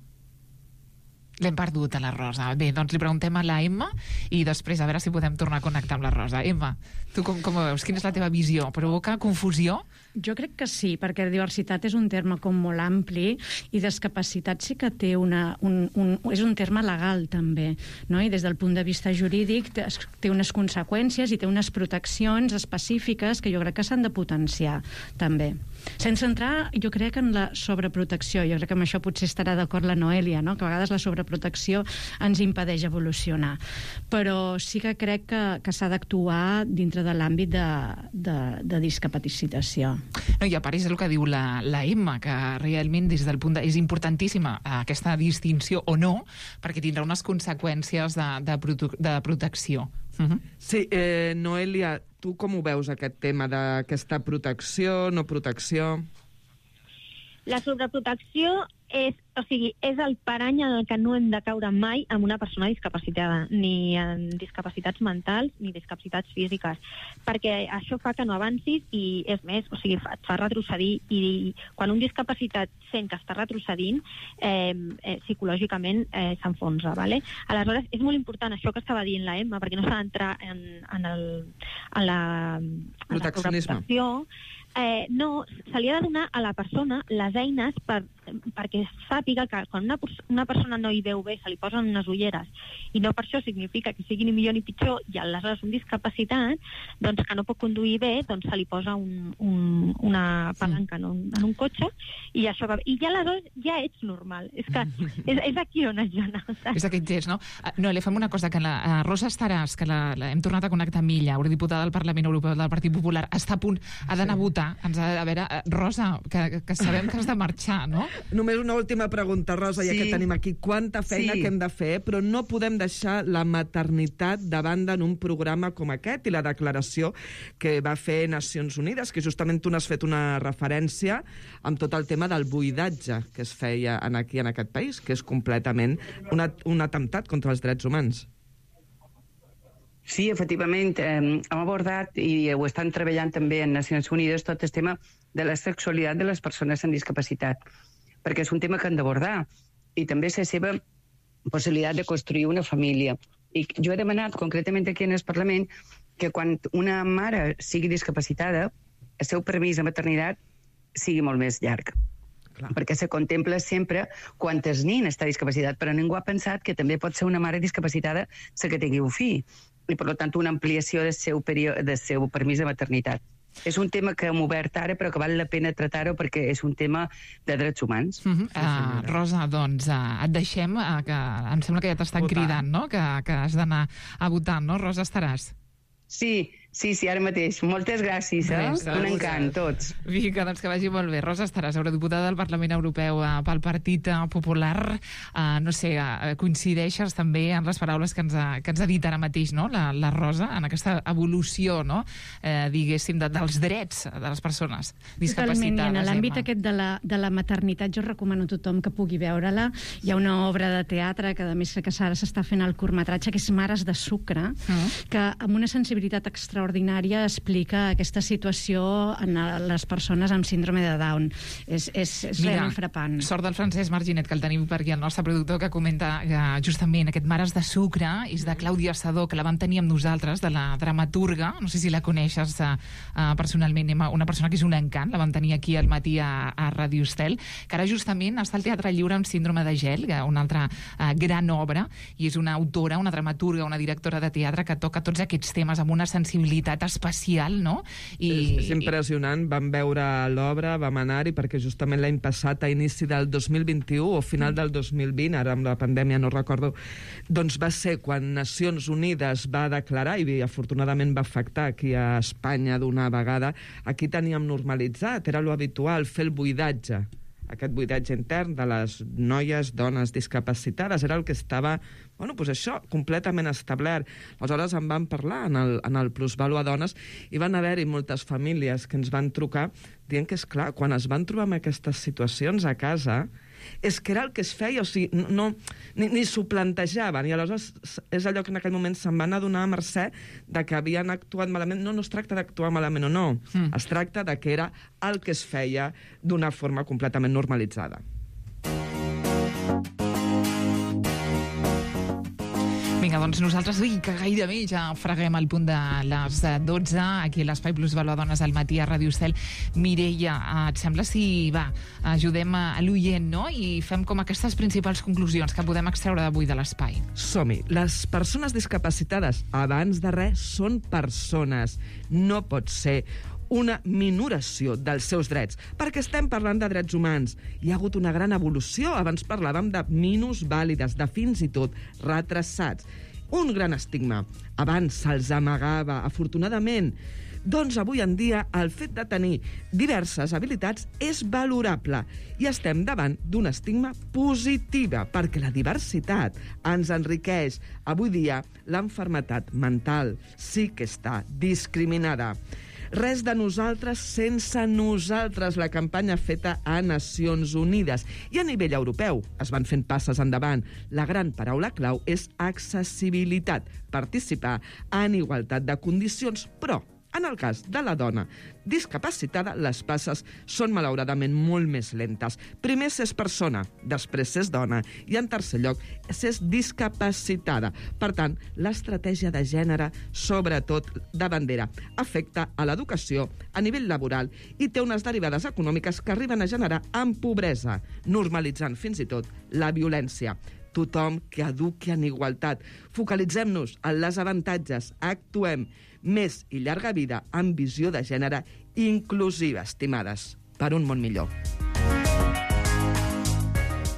L'hem perdut, a la Rosa. Bé, doncs li preguntem a la Emma i després a veure si podem tornar a connectar amb la Rosa. Emma, tu com, com ho veus? Quina és la teva visió? Provoca confusió? Jo crec que sí, perquè diversitat és un terme com molt ampli i discapacitat sí que té una, un, un, és un terme legal també, no? I des del punt de vista jurídic té, té unes conseqüències i té unes proteccions específiques que jo crec que s'han de potenciar també. Sense entrar, jo crec, en la sobreprotecció. Jo crec que amb això potser estarà d'acord la Noelia, no? Que a vegades la sobreprotecció ens impedeix evolucionar. Però sí que crec que, que s'ha d'actuar dintre de l'àmbit de, de, de discapacitació. No, i a part és el que diu la, la Emma, que realment des del punt de... és importantíssima aquesta distinció o no, perquè tindrà unes conseqüències de, de, prote de protecció. Uh-huh. Sí, eh, Noelia, tu com ho veus, aquest tema d'aquesta protecció, no protecció? La sobreprotecció és, o sigui, és el parany en el que no hem de caure mai amb una persona discapacitada, ni en discapacitats mentals ni discapacitats físiques, perquè això fa que no avancis i, és més, o sigui, fa, et fa retrocedir, i quan un discapacitat sent que està retrocedint, eh, eh, psicològicament eh, s'enfonsa, ¿vale? Aleshores, és molt important això que estava dient la Emma, perquè no s'ha d'entrar en, en, el, en la, en la sobreprotecció. Eh, no, se li ha de donar a la persona les eines per, perquè sàpiga que quan una, una persona no hi veu bé se li posen unes ulleres i no per això significa que sigui ni millor ni pitjor, i aleshores un discapacitat doncs, que no pot conduir bé, doncs se li posa un, un, una palanca en un, en un cotxe i això va bé. I ja aleshores ja ets normal. És que és, és aquí on has d'anar. És aquell gest, no? No, li fem una cosa, que la uh, Rosa Estaràs, que la, la, hem tornat a connectar amb ella, eurodiputada del Parlament Europeu del Partit Popular, està a punt, ha d'anar a votar. Ens ha, a veure, Rosa, que, que sabem que has de marxar, no? Només una última pregunta, Rosa, ja Sí. que tenim aquí. Quanta feina Sí. que hem de fer, però no podem deixar la maternitat de banda en un programa com aquest i la declaració que va fer Nacions Unides, que justament tu n'has fet una referència amb tot el tema del buidatge que es feia en aquí en aquest país, que és completament una, un atemptat contra els drets humans. Sí, efectivament, eh, hem abordat i ho estan treballant també en Nacions Unides tot el tema de la sexualitat de les persones amb discapacitat, perquè és un tema que han d'abordar, i també la seva possibilitat de construir una família. I jo he demanat concretament aquí en el Parlament que quan una mare sigui discapacitada, el seu permís de maternitat sigui molt més llarg. Clar. Perquè se contempla sempre quan el nin està discapacitat, però ningú ha pensat que també pot ser una mare discapacitada la que tingui un fill, i per tant una ampliació del seu, període, del seu permís de maternitat. És un tema que hem obert ara, però que val la pena tractar-ho perquè és un tema de drets humans. Uh -huh. uh, Rosa, doncs uh, et deixem, uh, que em sembla que ja t'estan cridant, no? Que, que has d'anar a votar, no? Rosa Estaràs. Sí, sí, sí, ara mateix. Moltes gràcies, eh? Res, un encant, tots. Vinga, doncs que vagi molt bé. Rosa Estaràs, eurodiputada del Parlament Europeu eh, pel Partit eh, Popular. Eh, no sé, eh, coincideixes també en les paraules que ens ha, que ens ha dit ara mateix, no?, la, la Rosa, en aquesta evolució, no?, eh, diguéssim, de, dels drets de les persones discapacitades. Totalment, i en l'àmbit Emma. aquest de la, de la maternitat jo recomano a tothom que pugui veure-la. Hi ha una obra de teatre que a més que ara s'està fent el curtmetratge, que és Mares de sucre, mm. que amb una sensibilitat extraordinària explica aquesta situació en les persones amb síndrome de Down. És, és, és Mira, realment frapant. Sort del Francesc Marginet, que el tenim per aquí, el nostre productor, que comenta que justament aquest Mares de sucre és de Clàudia Sadó, que la vam tenir amb nosaltres, de la dramaturga, no sé si la coneixes uh, uh, personalment, una persona que és un encant, la vam tenir aquí al matí a, a Ràdio Estel, que ara justament està al Teatre Lliure amb Síndrome de gel, una altra uh, gran obra, i és una autora, una dramaturga, una directora de teatre que toca tots aquests temes amb una sensibilitat especial, no? I, és, és impressionant, vam veure l'obra, vam anar-hi, perquè justament l'any passat, a inici del dos mil vint-i-u o final del dos mil vint, ara amb la pandèmia no recordo, doncs va ser quan Nacions Unides va declarar, i afortunadament va afectar aquí a Espanya d'una vegada, aquí teníem normalitzat, era lo habitual, fer el buidatge, aquest buidatge intern de les noies, dones discapacitades, era el que estava, bueno, doncs això, completament establert. Aleshores en van parlar en el, en el Plusvalua Dones, i van haver-hi moltes famílies que ens van trucar dient que, és clar, quan es van trobar amb aquestes situacions a casa, és que era el que es feia, o sigui, no, ni, ni s'ho plantejaven, i aleshores és allò que en aquell moment se'n van adonar a mercè de que havien actuat malament. No, no es tracta d'actuar malament o no, mm. es tracta de que era el que es feia d'una forma completament normalitzada. Vinga, doncs nosaltres sí que gairebé ja freguem el punt de les dotze, aquí a l'Espai Plusvalua Dones al matí a Ràdio Estel. Mireia, et sembla si, va, ajudem a l'oient, no?, i fem com aquestes principals conclusions que podem extreure d'avui de l'espai. Som-hi. Les persones discapacitades, abans de res, són persones. No pot ser una minoració dels seus drets, perquè estem parlant de drets humans. Hi ha hagut una gran evolució. Abans parlàvem de minusvàlides, de fins i tot retrasats. Un gran estigma. Abans se'ls amagava, afortunadament, Doncs avui en dia el fet de tenir diverses habilitats és valorable i estem davant d'una estigma positiva perquè la diversitat ens enriqueix. Avui dia l'enfermetat mental sí que està discriminada. Res de nosaltres sense nosaltres, la campanya feta a Nacions Unides. I a nivell europeu es van fent passes endavant. La gran paraula clau és accessibilitat, participar en igualtat de condicions, però en el cas de la dona discapacitada, les passes són malauradament molt més lentes. Primer s'és persona, després s'és dona i, en tercer lloc, s'és discapacitada. Per tant, l'estratègia de gènere, sobretot de bandera, afecta a l'educació a nivell laboral i té unes derivades econòmiques que arriben a generar en pobresa, normalitzant fins i tot la violència. Tothom que eduqui en igualtat. Focalitzem-nos en les avantatges, actuem. Més i llarga vida amb visió de gènere inclusiva, estimades, per un món millor.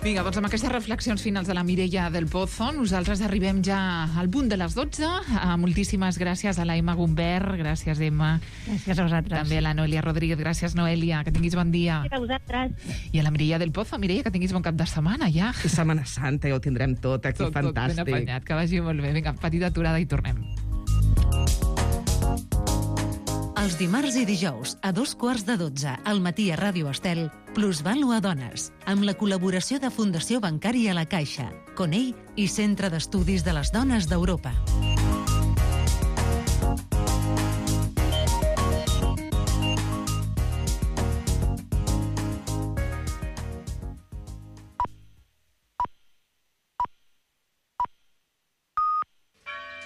Vinga, doncs amb aquestes reflexions finals de la Mireia del Pozo, nosaltres arribem ja al punt de les dotze. Uh, moltíssimes gràcies a la Emma Gumbert, gràcies, Emma. Gràcies a vosaltres. També a la Noelia Rodríguez, gràcies, Noelia, que tinguis bon dia. Gràcies a vosaltres. I a la Mireia del Pozo, Mireia, que tinguis bon cap de setmana, ja. I Setmana Santa, ja ho tindrem tot aquí, tot, fantàstic. Tot ben apanyat, que vagi molt bé. Vinga, petita aturada i tornem. Els dimarts i dijous, a dos quarts de dotze, al matí a Ràdio Estel, Plusvalua Dones, amb la col·laboració de Fundació Bancària La Caixa, Conell i Centre d'Estudis de les Dones d'Europa.